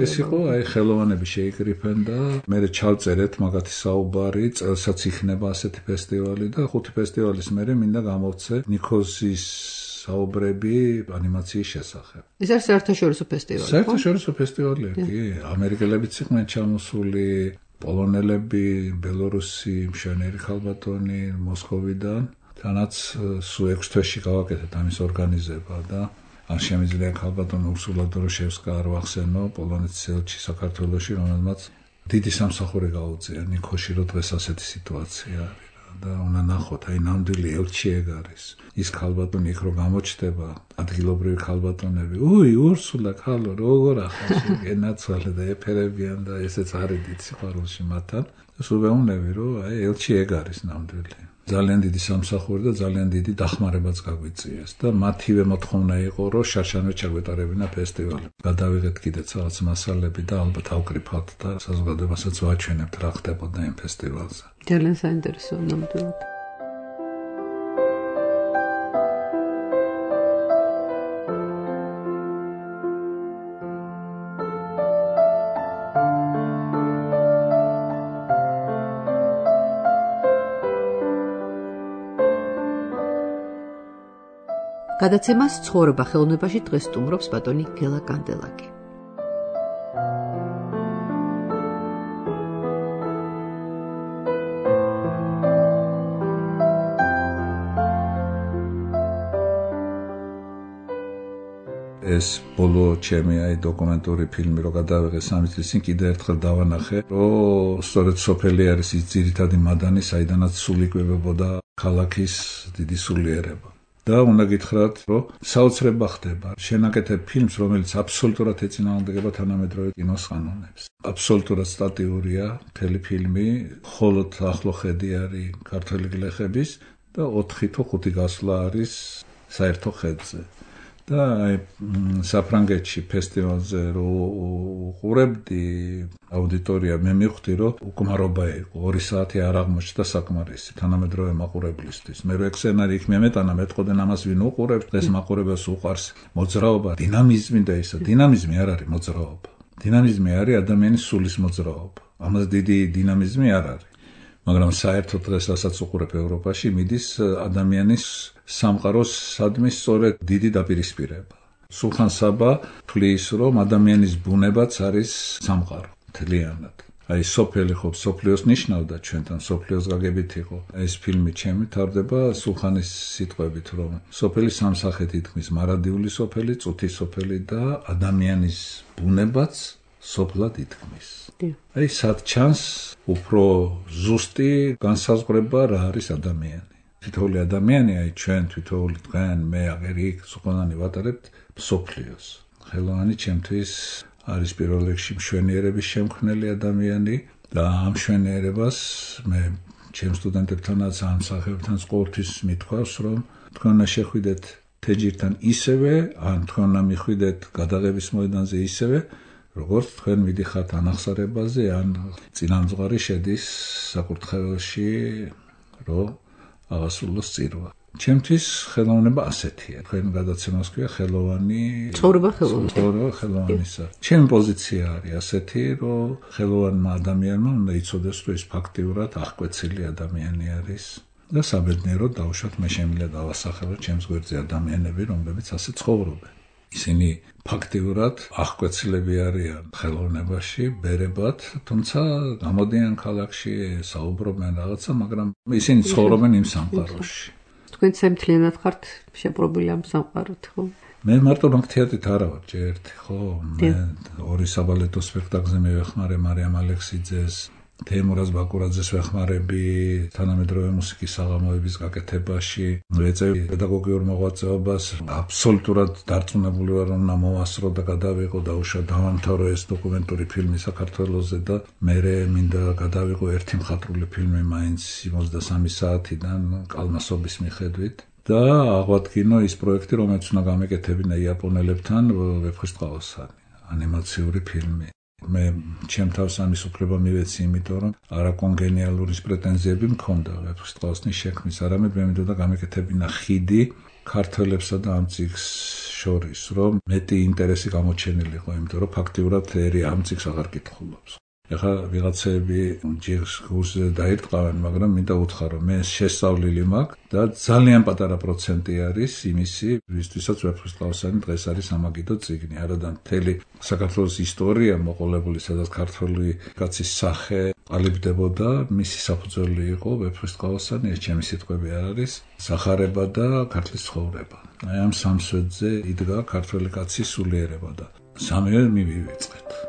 ეს იყო, აი ხელოვანები შეიკრიფენ და მე ჩავწერეთ მაგათი საუბარი, წელსაც იქნება ასეთი ფესტივალი და 5 ფესტივალის მერე მინდა გამოვცე ნიქოზის საუბრები ანიმაციის შესახებ. ეს არის საერთაშორისო ფესტივალი. საერთაშორისო ფესტივალია, კი, ამერიკელებიც იყვნენ ჩამოსული, პოლონელები, ბელორუსი, მშვენიერი ხალბატონი მოსკოვიდან. თანაც სულ 6 თვეში გავაკეთეთ ამის ორგანიზება და არ შემიძლია ხალბატონ ურსულა დროშევსკა არ ვახსენო, პოლონეთის ელჩი საქართველოში, რომელმაც დიდი სამსახური გაუწია ნიქოში, რომ დღეს ასეთი სიტუაცია არის და უნდა ნახოთ, აი ნამდვილი ელჩი ეგ არის. ის ხალბატონი იქ რო გამოჩნდება, ადგილობრივი ხალბატონები, ურსულა ხალო, როგორ ახალში გენაცვალე და ეფერებიან და ესეც არის დიდ სიყვარულში მათთან. სულ ვეუბნები, რომ აი ელჩი ეგ არის ნამდვილი. ძალიან დიდი სამსახური და ძალიან დიდი დახმარებაც გაგვიწიეს და მათივე მოთხოვნა იყო რომ შარშანვე ჩაგვეტარებინა ფესტივალი. გადავიღეთ კიდეც რაღაც მასალები და ალბათ ავკრიფავთ და საზოგადოებასაც ვაჩვენებთ რა ხდებოდა იმ ფესტივალზე. ძალიან საინტერესოა ნამდვილად. გადაცემას ცხოვრება ხელოვნებაში დღეს სტუმრობს ბატონი გელა კანდელაკი. ეს ბოლო ჩემი აი დოკუმენტური ფილმი რო გადავიღე 3 წლის წინ კიდე ერთხელ დავანახე, რომ სწორედ სოფელი არის ის ძირითადი მადანი, საიდანაც სულ იკვებებოდა ქალაქის დიდი სულიერება. და უნდა გითხრათ, რომ საოცრება ხდება. შენაკეთებ ფილმს, რომელიც აბსოლუტურად ეწინააღმდეგება თანამედროვე კინოს ყანონებს. აბსოლუტურად სტატიურია მთელი ფილმი, მხოლოდ ახლო ხედი არის ქართველი გლეხების და 4 თუ 5 გასვლა არის საერთო ხედზე. და საფრანგეთში ფესტივალზე რო უყურებდი აუდიტორია მე მივხვდი რომ უკმარობა იყო 2 საათი არ აღმოჩნდა საკმარისი თანამედროვე მაყურებლისთვის მე რო ეგ სცენარი იქ მემეტანა მეტყოდენ ამას ვინ უყურებს დღეს მაყურებელს უყარს მოძრაობა დინამიზმი და ისა დინამიზმი არ არის მოძრაობა დინამიზმი არის ადამიანის სულის მოძრაობა ამას დიდი დინამიზმი არ არის მაგრამ საერთოდ დღეს რასაც უყურებ ევროპაში მიდის ადამიანის სამყაროს სადმის სწორედ დიდი დაპირისპირება სულხან საბა თვლის რომ ადამიანის ბუნებაც არის სამყარო თლიანად აი სოფელი ხო სოფლიოს ნიშნავდა ჩვენთან სოფლიოს გაგებით იყო ეს ფილმი ჩემი თავდება სულხანის სიტყვებით რომ სოფელი სამსახეთ ითქმის მარადიული სოფელი წუთის სოფელი და ადამიანის ბუნებაც სოფლად ითქმის აი სად ჩანს უფრო ზუსტი განსაზღვრება რა არის ადამიანი თითოეული ადამიანი აი ჩვენ თითოეული თქვენ მე აღერი სულხანი ვატარებთ სოფლიოს ხელოვანი ჩემთვის არის პირველ რიგში მშვენიერების შემქმნელი ადამიანი და ამ მშვენიერებას მე ჩემ სტუდენტებთანაც ამ სახეობთან ყოველთვის მithქვავს რომ თქვენ უნდა შეხვიდეთ თეჯირთან ისევე ან თქვენ უნდა მიხვიდეთ გადაღების მოედანზე ისევე როგორც თქვენ მიდიხართ ანახსარებაზე ან წინამძღვარი შედის საკურთხეველში რომ აღასრულოს წირვა ჩემთვის ხელოვნება ასეთია თქვენ გადაცემას ქვია ხელოვანი ცხოვრება ხელოვანისა ჩემი პოზიცია არის ასეთი რომ ხელოვანმა ადამიანმა უნდა იცოდეს რომ ეს ფაქტიურად აღკვეცილი ადამიანი არის და საბედნიეროდ დავუშვათ მე შემიძლია დავასახელო ჩემს გვერდზე ადამიანები რომლებიც ასე ცხოვრობენ ისინი ფაქტიურად აღკვეცილები არიან ხელოვნებაში ბერებად თუმცა გამოდიან ქალაქში საუბრობენ რაღაცა მაგრამ ისინი ცხოვრობენ იმ სამყაროში თქვენ სამთლიანად ხართ შეპრობილი ამ სამყაროთ ხო მე მარტო ბანკთეატრით არა ვარ ჯერტი ხო მე 2 საბალეტო სპექტაკლზე მივეხმარე მარიამ ალექსიძეს თეიმურაზ ბაკურაძეს ვეხმარები თანამედროვე მუსიკის საღამოების გაკეთებაში ვეწევი პედაგოგიურ მოღვაწეობას აბსოლუტურად დარწმუნებული ვარ რომ მოვასწრო და გადავიღო და უშვა დავამთავრო ეს დოკუმენტური ფილმი საქართველოსზე და მე მინდა გადავიღო ერთი მხატვრული ფილმი მაინც 73 საათიდან კალმასობის მიხედვით და აღვადგინო ის პროექტი რომელიც უნდა გამეკეთებინა იაპონელებთან ვეფხისტყაოსანი ანიმაციური ფილმი მე ჩემ თავს ამის უფლება მივეცი იმიტომ რომ არაკონგენიალური პრეტენზიები მქონდა ვეფხისტყაოსნის შექმნის არამედ მე მინდოდა გამეკეთებინა ხიდი ქართველებსა და ამ წიგს შორის რომ მეტი ინტერესი გამოჩენილიყო იმიტომ რომ ფაქტიურად ერი ამ წიგს აღარ კითხულობს ეხლა ვიღაცები ჯერს კურსზე დაირტყავენ მაგრამ მინდა უთხრა რომ მე შესწავლილი მაქვს და ძალიან პატარა პროცენტი არის იმისი ვისთვისაც ვეფხისტყაოსანი დღეს არის ამაგიდო წიგნი არადა მთელი საქართველოს ისტორია მოყოლებული სადაც ქართული კაცის სახე ყალიბდებოდა მისი საფუძველი იყო ვეფხისტყაოსანი ეს ჩემი სიტყვები არ არის სახარება და ქართლის ცხოვრება აი ამ სამსვეტზე იდგა ქართული კაცის სულიერება და სამივე მივივიწყეთ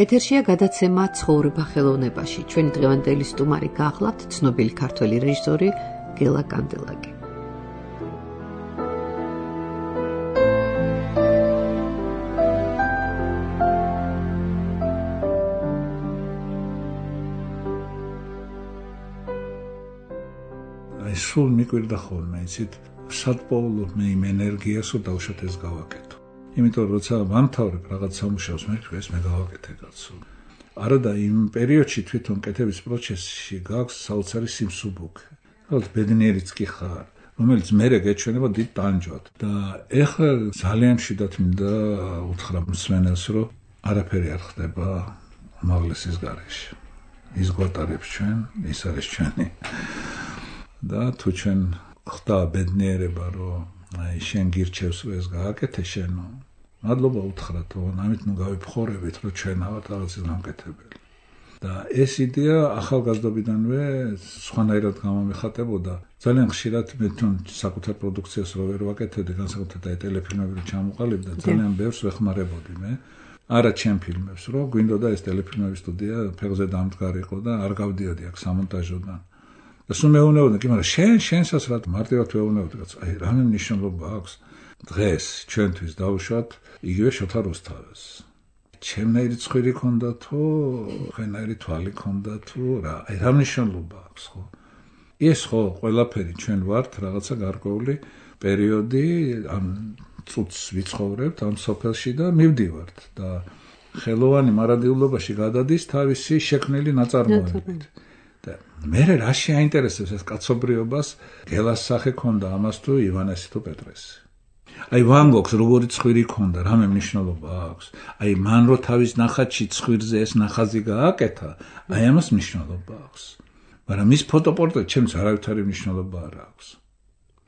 ეთერშია გადაცემა ცხოვრება ხელოვნებაში. ჩვენი დღევანდელი სტუმარი გახლავთ ცნობილი ქართველი რეჟისორი გელა კანდელაკი. აი სულ მიკვირდა ხოლმე, იცით, სად პოულობ მე იმ ენერგიას, რომ დავუშვათ ეს გავაკეთო. იმიტომ რომ როცა ვამთავრებ რაღაც სამუშაოს მე ეს მე გავაკეთე კაცო. არადა იმ პერიოდში თვითონ კეთების პროცესში გაქვს საოცარი სიმსუბუქე. ალბათ ბედნიერიც კი ხარ, რომელიც მერე გეჩვენება დიდ ტანჯვად და ეხლა ძალიან მშვიდად მინდა უთხრა მსმენელს, რომ არაფერი არ ხდება უმაღლესის გარეშე. ის გვატარებს ჩვენ, ის არის ჩვენი. და თუ ჩვენ ხდა ბედნიერება, რომ აი შენ გირჩევს რომ ეს გააკეთე შენო მადლობა უთხრათ რომ ამით ნუ გავიფხორებით რომ ჩვენ ავართ რაღაცის გამკეთებელი და ეს იდეა ახალგაზრდობიდანვე სხვანაირად გამომეხატებოდა ძალიან ხშირად მე თვითონ საკუთარ პროდუქციას რო ვერ ვაკეთებდი განსაკუთრებით აი ტელეფილმები რო ჩამოყალიბდა ძალიან ბევრს ვეხმარებოდი მე არა ჩემ ფილმებს რომ გვინდოდა ეს ტელეფილმების სტუდია ფეხზე დამდგარიყო და არ გავდიოდი აქ სამონტაჟოდან და სულ მეუბნებოდნენ, კი, მაგრამ შენსაც რა მარტივად ვეუბნებოდი, კაც, აი, რამე მნიშვნელობა აქვს დღეს ჩვენთვის დავუშვათ იგივე შოთა რუსთაველს. ჩემნაირი ცხვირი ქონდა თუ ხენაირი თვალი ქონდა თუ რა, აი, რა მნიშვნელობა აქვს, ხო? ეს ხო ყველაფერი ჩვენ ვართ რაღაცა გარკვეული პერიოდი ამ წუთს ვიცხოვრებთ ამ სოფელში და მივდივართ და ხელოვანი მარადილობაში გადადის თავისი შექმნილი ნაწარმოებით. და მე რა შეაინტერესებს ეს კაცობრიობას გელას სახე ქონდა ამას თუ ივანესი თუ პეტრესი. აი ვან გოგს როგორი ცხვირი ქონდა, რამე მნიშვნელობა აქვს. აი მან რო თავის ნახატში ცხვირზე ეს ნახაზი გააკეთა, აი ამას მნიშვნელობა აქვს. მაგრამ მის ფოტოპორტრეტ ჩემს არავითარი მნიშვნელობა არ აქვს.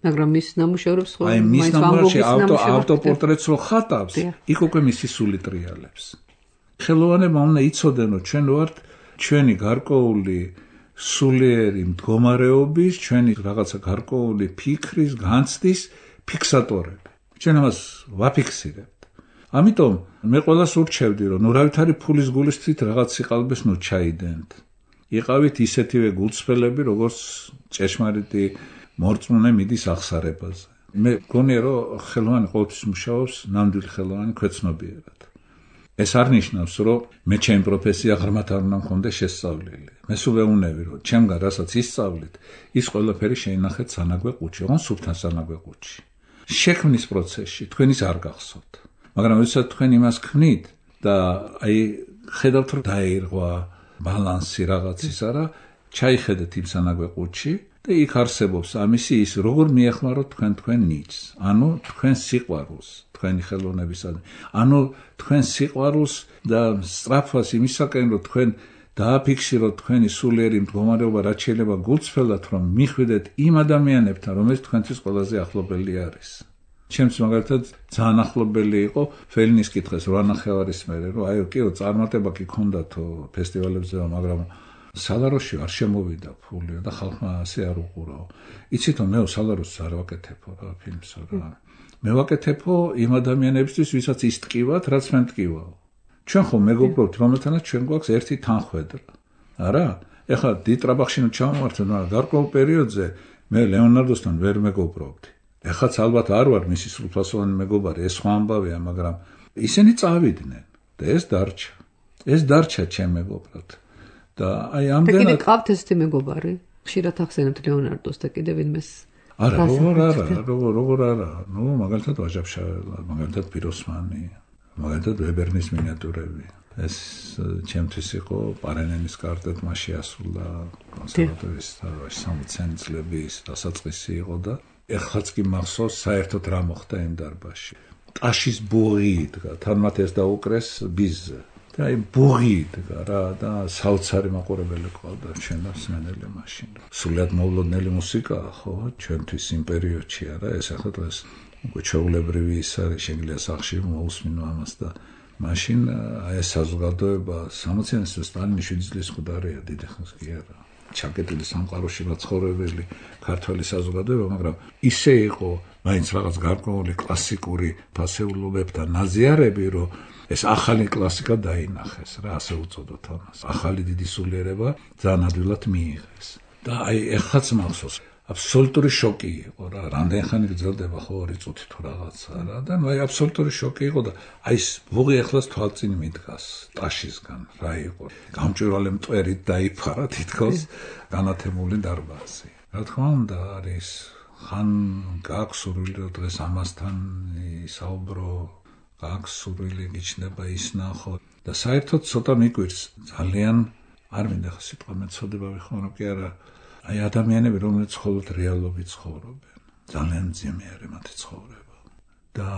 მაგრამ მის ნამუშევრებს ხო აი მის ნამუშევრებში ავტოპორტრეტს რო ხატავს, იქ უკვე მისი სული ტრიალებს. ხელოვანებმა უნდა იცოდენ, რომ ჩვენ ვართ ჩვენი გარკვეული სულიერი მდგომარეობის, ჩვენი რაღაცა გარკვეული ფიქრის, განცდის ფიქსატორები. ჩვენ ამას ვაფიქსირებთ. ამიტომ მე ყველას ურჩევდი, რომ ნურავითარი ფულის გულისთვის რაღაც სიყალბეს ნუ ჩაიდენთ. იყავით ისეთივე გულწრფელები, როგორც ჭეშმარიტი მორწმუნე მიდის აღსარებაზე. მე მგონია, რომ ხელოვანი ყოველთვის მუშაობს ნამდვილი ხელოვანი ქვეცნობიერად. ეს არ ნიშნავს, რომ მე ჩემი პროფესია ღრმად არ უნდა მქონდეს შესწავლილი. მე სულ ვეუნები, რომ ჩემგან რასაც ისწავლით, ის ყველაფერი შეინახეთ სანაგვე ყუთში, ოღონდ სუფთან სანაგვე ყუთში. შექმნის პროცესში თქვენ ის არ გახსოვთ. მაგრამ როდესაც თქვენ იმას ქმნით და აი ხედავთ, რომ დაირღვა ბალანსი რაღაცისა რა, ჩაიხედეთ იმ სანაგვე ყუთში და იქ არსებობს ამისი ის, როგორ მიეხმაროთ თქვენ ნიჭს, ანუ თქვენ სიყვარულს, თქვენი ხელოვნებისადმი, ანუ თქვენ სიყვარულს და სწრაფვას იმისაკენ, რომ თქვენ დააფიქსიროთ თქვენი სულიერი მდგომარეობა, რაც შეიძლება გულწრფელად, რომ მიხვიდეთ იმ ადამიანებთან, რომელიც თქვენთვის ყველაზე ახლობელი არის. ჩემს მაგალითად ძალიან ახლობელი იყო ფელინის კითხეს 8 ნახევარის მერე, რომ აი კიო წარმატება კი ქონდათო ფესტივალებზე, მაგრამ სალაროში არ შემოვიდა ფული და ხალხმა ასე არ უყურაო. იცით, მე სალაროს არ ვაკეთებო რა ფილმსო რა. მე ვაკეთებო იმ ადამიანებისთვის, ვისაც ის ტკივათ, რაც მე ტკივაო. ჩვენ ხომ მეგობრობთ, რომელთანაც ჩვენ გვაქვს ერთი თანხwebdriver. არა? ეხლა დიტრაბახში ჩავმართვენ, მაგრამ გარკვეულ პერიოდზე მე ლეონარდოსთან ვერ მეგობრობდი. ეხლაც ალბათ არ ვარ მისი სრულფასოვანი მეგობარი, ეს სხვა ამბავია, მაგრამ ისინი წავიდნენ და ეს დარჩა. ეს დარჩა ჩემ მეგობრად. და აი ამდენად და კიდე ყავთ ესეთი მეგობარი? ხშირად ახსენებთ ლეონარდოს და კიდე ვინმეს? არა, როგორ არა. ნუ მაგალითად ვაჟაფშაველა, მაგალითად პიროსმანი, მაგალითად ვებერნის მინიატურები. ეს ჩემთვის იყო პარენენის კარტეტმა შეასრულა კონსერვატორიის 60 წლების დასაწყისი იყო და ეხლაც კი მახსოვს საერთოდ რა მოხდა იმ დარბაზში. ტაშის ბუღი იდგა, თან მათ ეს დაუკრეს ბიზზე. და აი ბუღი იდგა რა და საოცარი მაყურებელი ყავდა ჩვენ და სმენელი მაშინ. სულად მოვლოდნელი მუსიკაა, ხო, ჩვენთვის იმ პერიოდში არა, ეს ახლა დღეს უკვე ჩვეულებრივი ის არის, შეგიძლია სახში მოусმინო ამას და მაშინ აი ეს საზოგადოება 60-იანის სტალინის 7 წლის მკვდარია, დიდი ხნის კი არა. ჩაკეტილი სამყაროში მაცხოვრებელი ქართველი საზოგადოება, მაგრამ ისე იყო მაინც რაღაც გარკვეული კლასიკური ფასეულობებთან ნაზიარები, რომ ეს ახალი კლასიკა დაინახეს რა, ასე უწოდოთ ამას. ახალი დიდი სულიერება ძალიან ადვილად მიიღეს. და აი ეხლაც მახსოვს, აბსოლუტური შოკი იყო რა, რამდენი ხანი გრძელდება ხო 2 წუთი თუ რაღაცა რა და ნუ აი აბსოლუტური შოკი იყო და აი ეს ბუღი ეხლაც თვალწინ მიდგას ტაშისგან რა იყო. გამჭვირვალე მტვერით დაიფარა თითქოს განათებული დარბაზი. რა თქმა უნდა არის ხან გაქვს სურვილი რომ დღეს ამასთან ისაუბრო, გაქვს სურვილი გიჩნდება ის ნახო და საერთოდ ცოტა მიგვირს ძალიან არ მინდა ხა სიტყვა მეცოდება ვიხმარო რომ კი არა აი ადამიანები რომლებიც მხოლოდ რეალობით ცხოვრობენ ძალიან მძიმე არის მათი ცხოვრება და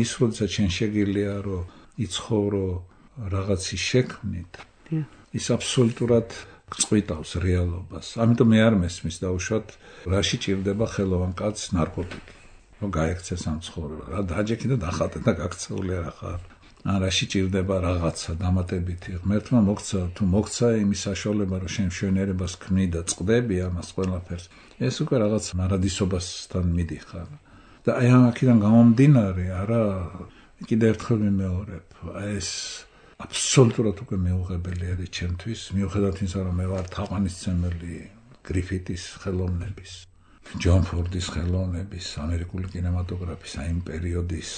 ის როდესაც შენ შეგიძლია რომ იცხოვრო რაღაცის შექმნით ის აბსოლუტურად წვიტავს რეალობას ამიტომ მე არ მესმის დაუშვათ რაში ჭირდება ხელოვან კაცს ნარკოტიკი რომ გაექცეს ამ ცხოვრება რა დაჯექი და დახატე და გაქცეული არ ხარ ან რაში ჭირდება რაღაცა დამატებითი ღმერთმა მოგცა თუ მოგცა იმის საშუალება რომ შენ მშვენიერებას ქმნი და წყდები ამას ყველაფერს ეს უკვე რაღაც მარადისობასთან მიდიხარ და აი ამაკიდან გამომდინარე არა კიდე ერთხელ მიმეორებ ეს აბსოლუტურად უკვე მეუღებელი არის ჩემთვის მიუხედავად იმისა რომ მე ვარ თაყვანისმცემელი გრიფიტის ხელოვნების, ჯონ ფორდის ხელოვნების, ამერიკული კინემატოგრაფის, აი იმ პერიოდის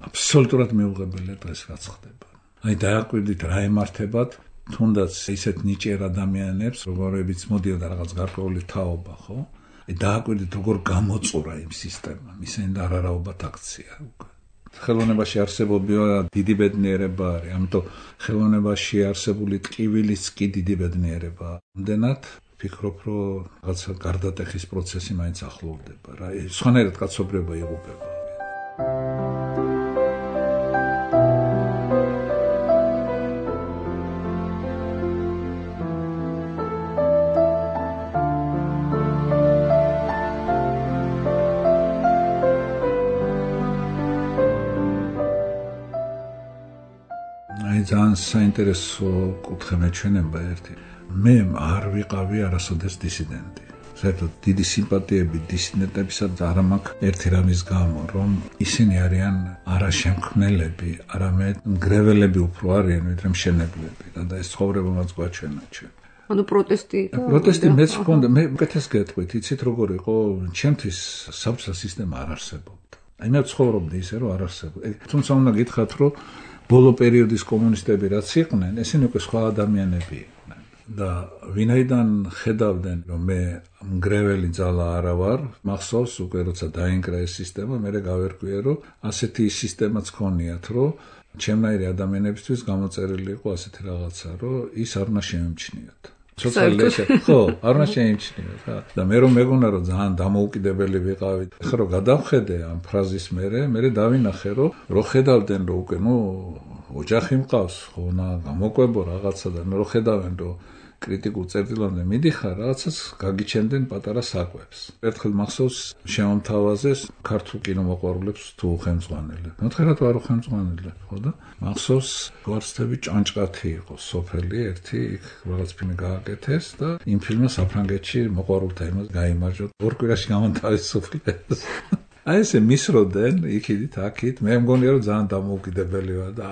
აბსოლუტურად მიუღებელია დღეს რაც ხდება. აი დააკვირდით რა ემართებათ თუნდაც ისეთ ნიჭიერ ადამიანებს, როგორებიც მოდიოდა რაღაც გარკვეული თაობა, ხო? აი დააკვირდით როგორ გამოწურა იმ სისტემამ, ისინი და არარაობათ აქცია უკვე. ხელოვნებაში არსებობია დიდი ბედნიერება არის, ამიტომ ხელოვნებაში არსებული ტკივილიც კი დიდი ბედნიერებაა. ამდენად ვფიქრობ, რომ რაღაცა გარდატეხის პროცესი მაინც ახლოვდება რა. სხვანაირად კაცობრიობა იღუპება. ძალიან საინტერესო კუთხე მეჩვენება ერთი. მე არ ვიყავი არასოდეს დისიდენტი. საერთოდ დიდი სიმპათიები დისიდენტებისაც არ მაქვს ერთი რამის გამო, რომ ისინი არიან არა შემქმნელები, არამედ მგრეველები უფრო არიან, ვიდრე მშენებლები. და ეს ცხოვრება მას გვაჩვენა ჩვენ. ანუ პროტესტი მეც მქონდა, მე უკეთეს გეტყვით, იცით როგორ იყო, ჩემთვის საბჭოთა სისტემა არ არსებობდა. აი მე ცხოვრობდი ისე, რომ არ არსებობდა. თუმცა უნდა გითხრათ, რომ ბოლო პერიოდის კომუნისტები რაც იყვნენ, ესენი უკვე სხვა ადამიანები იყვნენ და ვინაიდან ხედავდნენ, რომ მე მგრეველი ძალა არა ვარ, მახსოვს უკვე როცა დაინგრა ეს სისტემა, მე გავერკვიე, რომ ასეთი სისტემაც ქონიათ, რომ ჩემნაირი ადამიანებისთვის გამოწერილი იყო ასეთი რაღაცა, რომ ის არ უნდა შემჩნიოთ. ხო, არ უნდა შეიმჩნიოთ რა. და მე რომ მეგონა რომ ძალიან დამოუკიდებელი ვიყავით. ეხლა რომ გადავხედე ამ ფრაზის მერე დავინახე რომ ხედავდნენ რომ უკვე ოჯახი მყავს, ხო, გამოკვებო რაღაცა და რო ხედავენ რომ კრიტიკულ წერტილამდე მიდიხარ, რაღაცას გაგიჩენდნენ პატარა საკვებს. ერთხელ მახსოვს შემომთავაზეს ქართულ კინომოყვარულებს თუ ხელმძღვანელებს. მოთხრათ ვარო ხელმძღვანელებს, ხო და მახსოვს გვარცდები ჭანჭყათი იყო სოფელი ერთი, იქ რაღაც ფილმი გააკეთეს და იმ ფილმმა საფრანგეთში მოყვარულთა იმას გაიმარჯვა. ორ კვირაში გამონთავისუფლეს. აი ესე მისროდნენ იქით აქით, მე მგონია რომ ძალიან დამოუკიდებელი ვარ და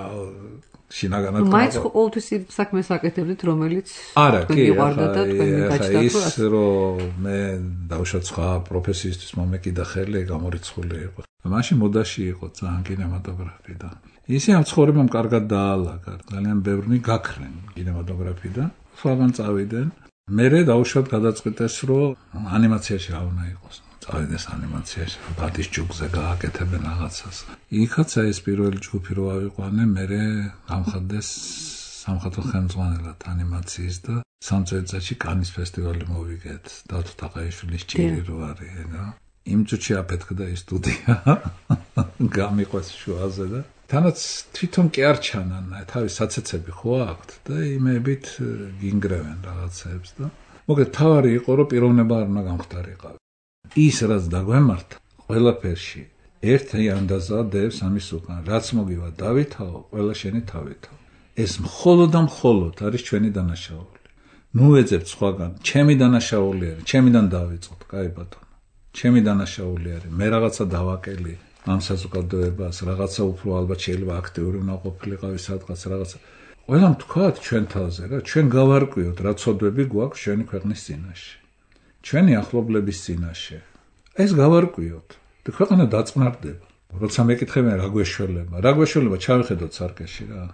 შინაგანად მაინც ყოველთვის საქმეს აკეთებდით, რომელიც გიყვარდა და თქვენ გაჩნდათ ის რომ მე დავუშვათ სხვა პროფესიისთვის მომეკიდა ხელი, გამორიცხული იყო. მაშინ მოდაში იყო ძალიან კინემატოგრაფი და ისე ამ ცხოვრებამ კარგად დაალაგა, ძალიან ბევრი გაქრენ კინემატოგრაფიდან, სხვაგან წავიდნენ. მერე დავუშვათ გადაწყვიტეს რომ ანიმაციაში რა უნდა იყოს. წავიდეს ანიმაციაში, ბადის ჯგუფზე გააკეთებენ რაღაცას. იქაც ეს პირველი ჯგუფი რო ავიყვანე, მერე გამხადდეს სამხატვრო ხელმძღვანელად ანიმაციის და 3 წელიწადში კანის ფესტივალი მოვიგეთ. დავთო თაყაიშვილის ჭირი რო არის, რა. იმ წუთში აფეთქდა ის სტუდია. გამიყვეს შუაზე და თანაც თვითონ კი არ ჩანან, თავის საცეცები ხო აქვთ და იმებით გინგრევენ რაღაცებს და მოგეთ თავარი იყო რომ პიროვნება არ უნდა გამختارიყავ. ის რაც დაგვემართა ყველაფერში ერთი ანდაზადებს ამის უკან რაც მოგივა დავითაო ყველა შენი თავითაო ეს მხოლოდ და მხოლოდ არის ჩვენი დანაშაული ნუ ეძებთ სხვაგან ჩემი დანაშაული არის ჩემიდან დავიწყოთ კაი ბატონო ჩემი დანაშაული არის მე რაღაცა დავაკელი ამ საზოგადოებას რაღაცა უფრო ალბათ შეიძლება აქტიური უნდა ყოფილიყავი სადღაც რაღაცა ყველამ თქვათ ჩვენ თავზე რა ჩვენ გავარკვიოთ რა ცოდვები გვაქვს ჩვენი ქვეყნის წინაშე ჩვენი ახლობლების წინაშე ეს გავარკვიოთ და ქვეყანა დაწყნარდება როცა მეკითხებიან რა გვეშველება ჩავიხედოთ სარკეში რა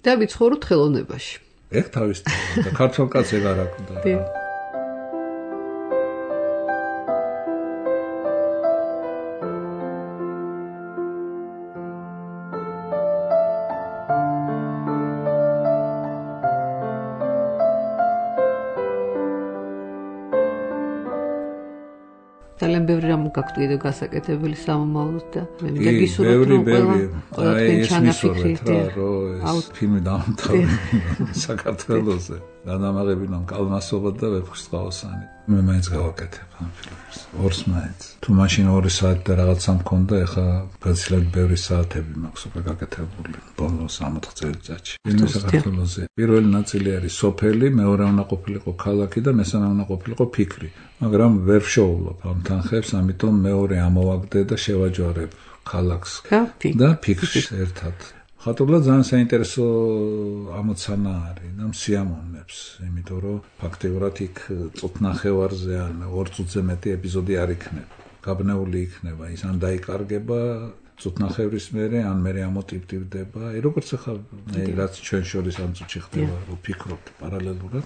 და ვიცხოვროთ ხელოვნებაში ეგ თავის და ქართულ კაცს ეგ არ აქვს ძალიან ბევრი რამ გაქვთ კიდე გასაკეთებელი სამომავლოდ და მე მინდა გისურვოთ რომ ყველა თქვენ ჩანაფიქრით რომ ფილმი დამთავრდა საქართველოსზე განამაღებინონ კალმასობა და ვეფხისტყაოსანი მე მაინც გავაკეთებ ამ ფილმს ორს მაინც თუ მაშინ 2 საათი და რაღაცა მქონდა ეხა გაცილებით ბევრი საათები მაქვს უკვე გაკეთებული ბოლო 60 წელიწადში ფილმი საქართველოსზე პირველი ნაწილი არის სოფელი მეორე უნდა ყოფილიყო ქალაქი და მესამე უნდა ყოფილიყო ფიქრი მაგრამ ვერ შოულობ ამ თანხებს ამიტომ მეორე ამოვაგდე და შევაჯვარებ ქალაქს და ფიქრს ერთად ხატობლად ძალიან საინტერესო ამოცანა არის და მსიამოვნებს, იმიტომ რომ ფაქტიურად იქ წუთნახევარზე ან 2 წუთზე მეტი ეპიზოდი არ იქნება. გაბნეული იქნება, ის ან დაიკარგება წუთნახევრის მერე, ან მერე ამოტივტივდება. როგორც ახლა რაც ჩვენ შორის ამ წუთში ხდება, რომ ფიქრობთ პარალელურად.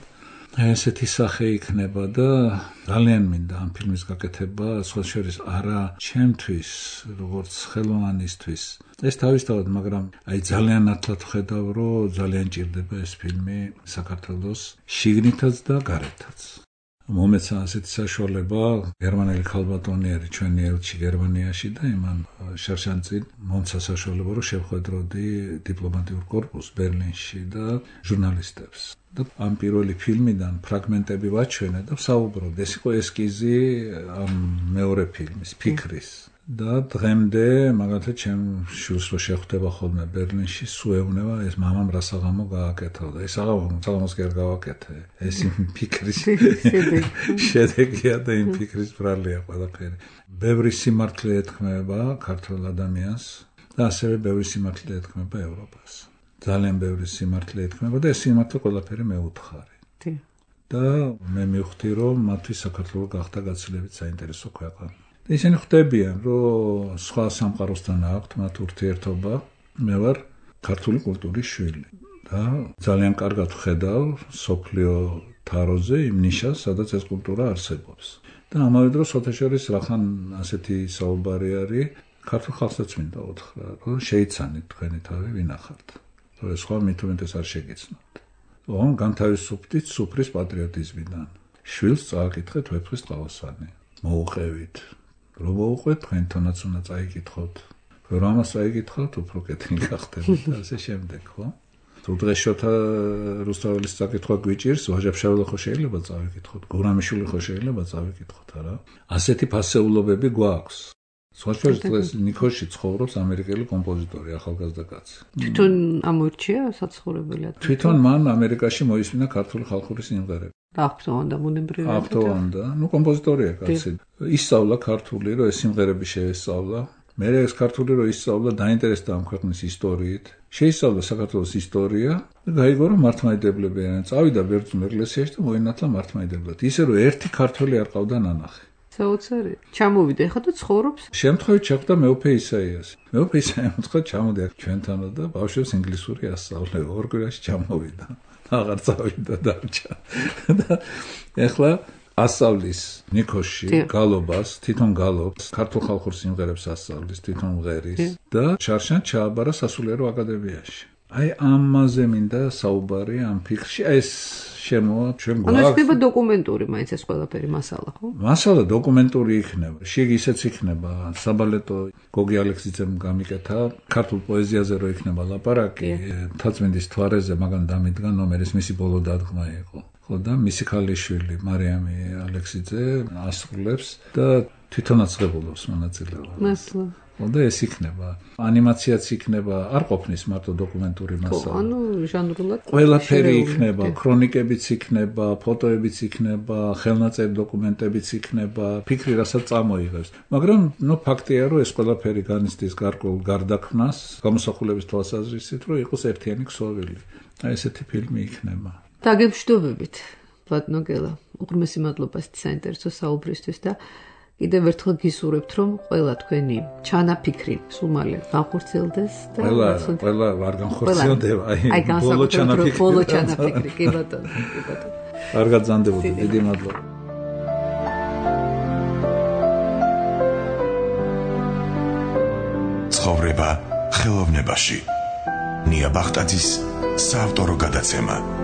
ესეთი სახე იქნება და ძალიან მინდა ამ ფილმის გაკეთება, სხვა შორის არა ჩემთვის, როგორც ხელოვანისთვის. ეს თავისთავად, მაგრამ ძალიან ათლად ხედავ, რომ ძალიან ჭირდება ეს ფილმი საქართველოს შიგნითაც და გარეთაც. მომეცა ასეთი საშუალება, გერმანელი ქალბატონიერი ჩვენი ელჩი გერმანიაში და იმან შარშანწინ მომცა საშუალება, რომ შევხვედროდი დიპლომატიურ კორპუსს ბერლინში და ჟურნალისტებს. და ამ პირველი ფილმიდან ფრაგმენტები ვაჩვენე და ვსაუბრობ. ეს იყო ესკიზი ამ მეორე ფილმის, ფიქრის. და დღემდე, მაგალითად, ჩემ შვილს რო შეხვდება ხოლმე ბერლინში, სუეუნება ეს მამამ რა საღამო გააკეთა და ეს საღამოს კი არ გავაკეთე. ეს იმ ფიქრის შედეგია და იმ ფიქრის ბრალია ყველაფერი. ბევრი სიმართლე ეთქმება ქართულ ადამიანს და ასევე ბევრი სიმართლე ეთქმება ევროპას. ძალიან ბევრი სიმართლე ეთქმება და ეს სიმართლე ყველაფერი მეუთხარი. და მე მივხვდი, რომ მათთვის საქართველო გახდა გაცილებით საინტერესო ქვეყანა. ისინი ხვდებიან, რომ სხვა სამყაროსთან აქვთ მათ ურთიერთობა. მე ვარ ქართული კულტურის შვილი და ძალიან კარგად ვხედავ სოფლიო თაროზე იმ ნიშას, სადაც ეს კულტურა არსებობს. და ამავე დროს ოთაშორის რახან ასეთი საუბარი არის, ქართულ ხალხსაც მინდა უთხრა, რომ შეიცანით თქვენი თავი ვინახართ. რომ სხვა მithumetes არ შეგეცნოთ. რომ განთავისუფლდით სუფრის პატრიოტიზმიდან. შვილს წააკითხეთ ვეფხვის ტყავასანი. მოუყევით. რომ მოუყვეთ, თქვენთანაც უნდა წაიკითხოთ. რომ ამას წაიკითხოთ, უფრო კეთილი გახდებით და ასე შემდეგ, ხო? თუ დღეს შოთა რუსთაველის წაკითხვა გვიჭირს, ვაჟა-ფშაველა ხო შეიძლება წავიკითხოთ, გურამიშვილი ხო შეიძლება წავიკითხოთ, არა? ასეთი ფასეულობები გვაქვს. სხვა შორის დღეს ნიქოში ცხოვრობს ამერიკელი კომპოზიტორი, ახალგაზრდა კაცი. თვითონ ამორჩია საცხოვრებელად. თვითონ მან ამერიკაში მოისმინა ქართული ხალხური სიმღერები. აღფრთოვანდა ბუნებრივად. აღფრთოვანდა, კომპოზიტორია კაცი. ისწავლა ქართული, რომ ეს სიმღერები შეესწავლა. მე ეს ქართული რომ ისწავლა, დაინტერესდა ამ ქვეყნის ისტორიით. შეისწავლა საქართველოს ისტორია და გაიგო, რომ მართლმადიდებლები არიან. წავიდა ბერძნულ ეკლესიაში და მოინათლა მართლმადიდებლად. ისე რომ ერთი ქართველი არ ყავდა ნანახი. საოცარი. ჩამოვიდა ხა და ცხოვრობს. შემთხვევით შეხვდა მეუფე ისაიასი. მეუფე ისაიასი უთხრა ჩამოდი აქ ჩვენთანა და ბავშვებს ინგლისური ასწავლე. 2 კვირაში ჩამოვიდა. აღარ წავიდა დარჩა. და ეხლა ასწავლის ნიქოში გალობას, თვითონ გალობს, ქართულ ხალხურ სიმღერებს ასწავლის, თვითონ მღერის და შარშან ჩააბარა სასულიერო აკადემიაში. აი ამაზე მინდა საუბარი ამ ფიქრში. ეს შემოა ჩვენ გვაქვს. ანუ ხდება დოკუმენტური მაინც ეს ყველაფერი მასალა, ხო? მასალა დოკუმენტური იქნება. შიგ ისეც იქნება. საბალეტო გოგი ალექსიძემ გამიკეთა ქართულ პოეზიაზე რო იქნება ლაპარაკი, თაწმინდის თვარეზე მაგან დამიდგა ნომერის მისი ბოლო დადგმა იყო. ხო და მისი ქალიშვილი მარიამი ალექსიძე ასრულებს და თვითონაც ღებულობს მონაწილეობას. მართლა. და ეს იქნება. ანიმაციაც იქნება, არ ყოფნის მარტო დოკუმენტური მასალა. ანუ ჟანრულად ყველაფერი იქნება, ქრონიკებიც იქნება, ფოტოებიც იქნება, ხელნაწერი დოკუმენტებიც იქნება, ფიქრი რასაც წამოიღებს. მაგრამ ფაქტია, რომ ეს ყველაფერი განიცდის გარკვეულ გარდაქმნას, გამოსახულების თვალსაზრისით, რომ იყოს ერთიანი ქსოვილი. აი ესეთი ფილმი იქნება. დაგემშვიდობებით, პლატნოგელა. უღრმესი მადლობა საინტერესო საუბრისთვის და კიდევ ერთხელ გისურვებთ, რომ ყველა თქვენი ჩანაფიქრი სულ მალე განხორციელდეს და ყველა არ განხორციელდება, აი ბოლო ჩანაფიქრი, კი ბატონო, კი ბატონო. არ გაგზანდებოდეთ, დიდი მადლობა. ცხოვრება ხელოვნებაში. ნია ბახტაძის საავტორო გადაცემა.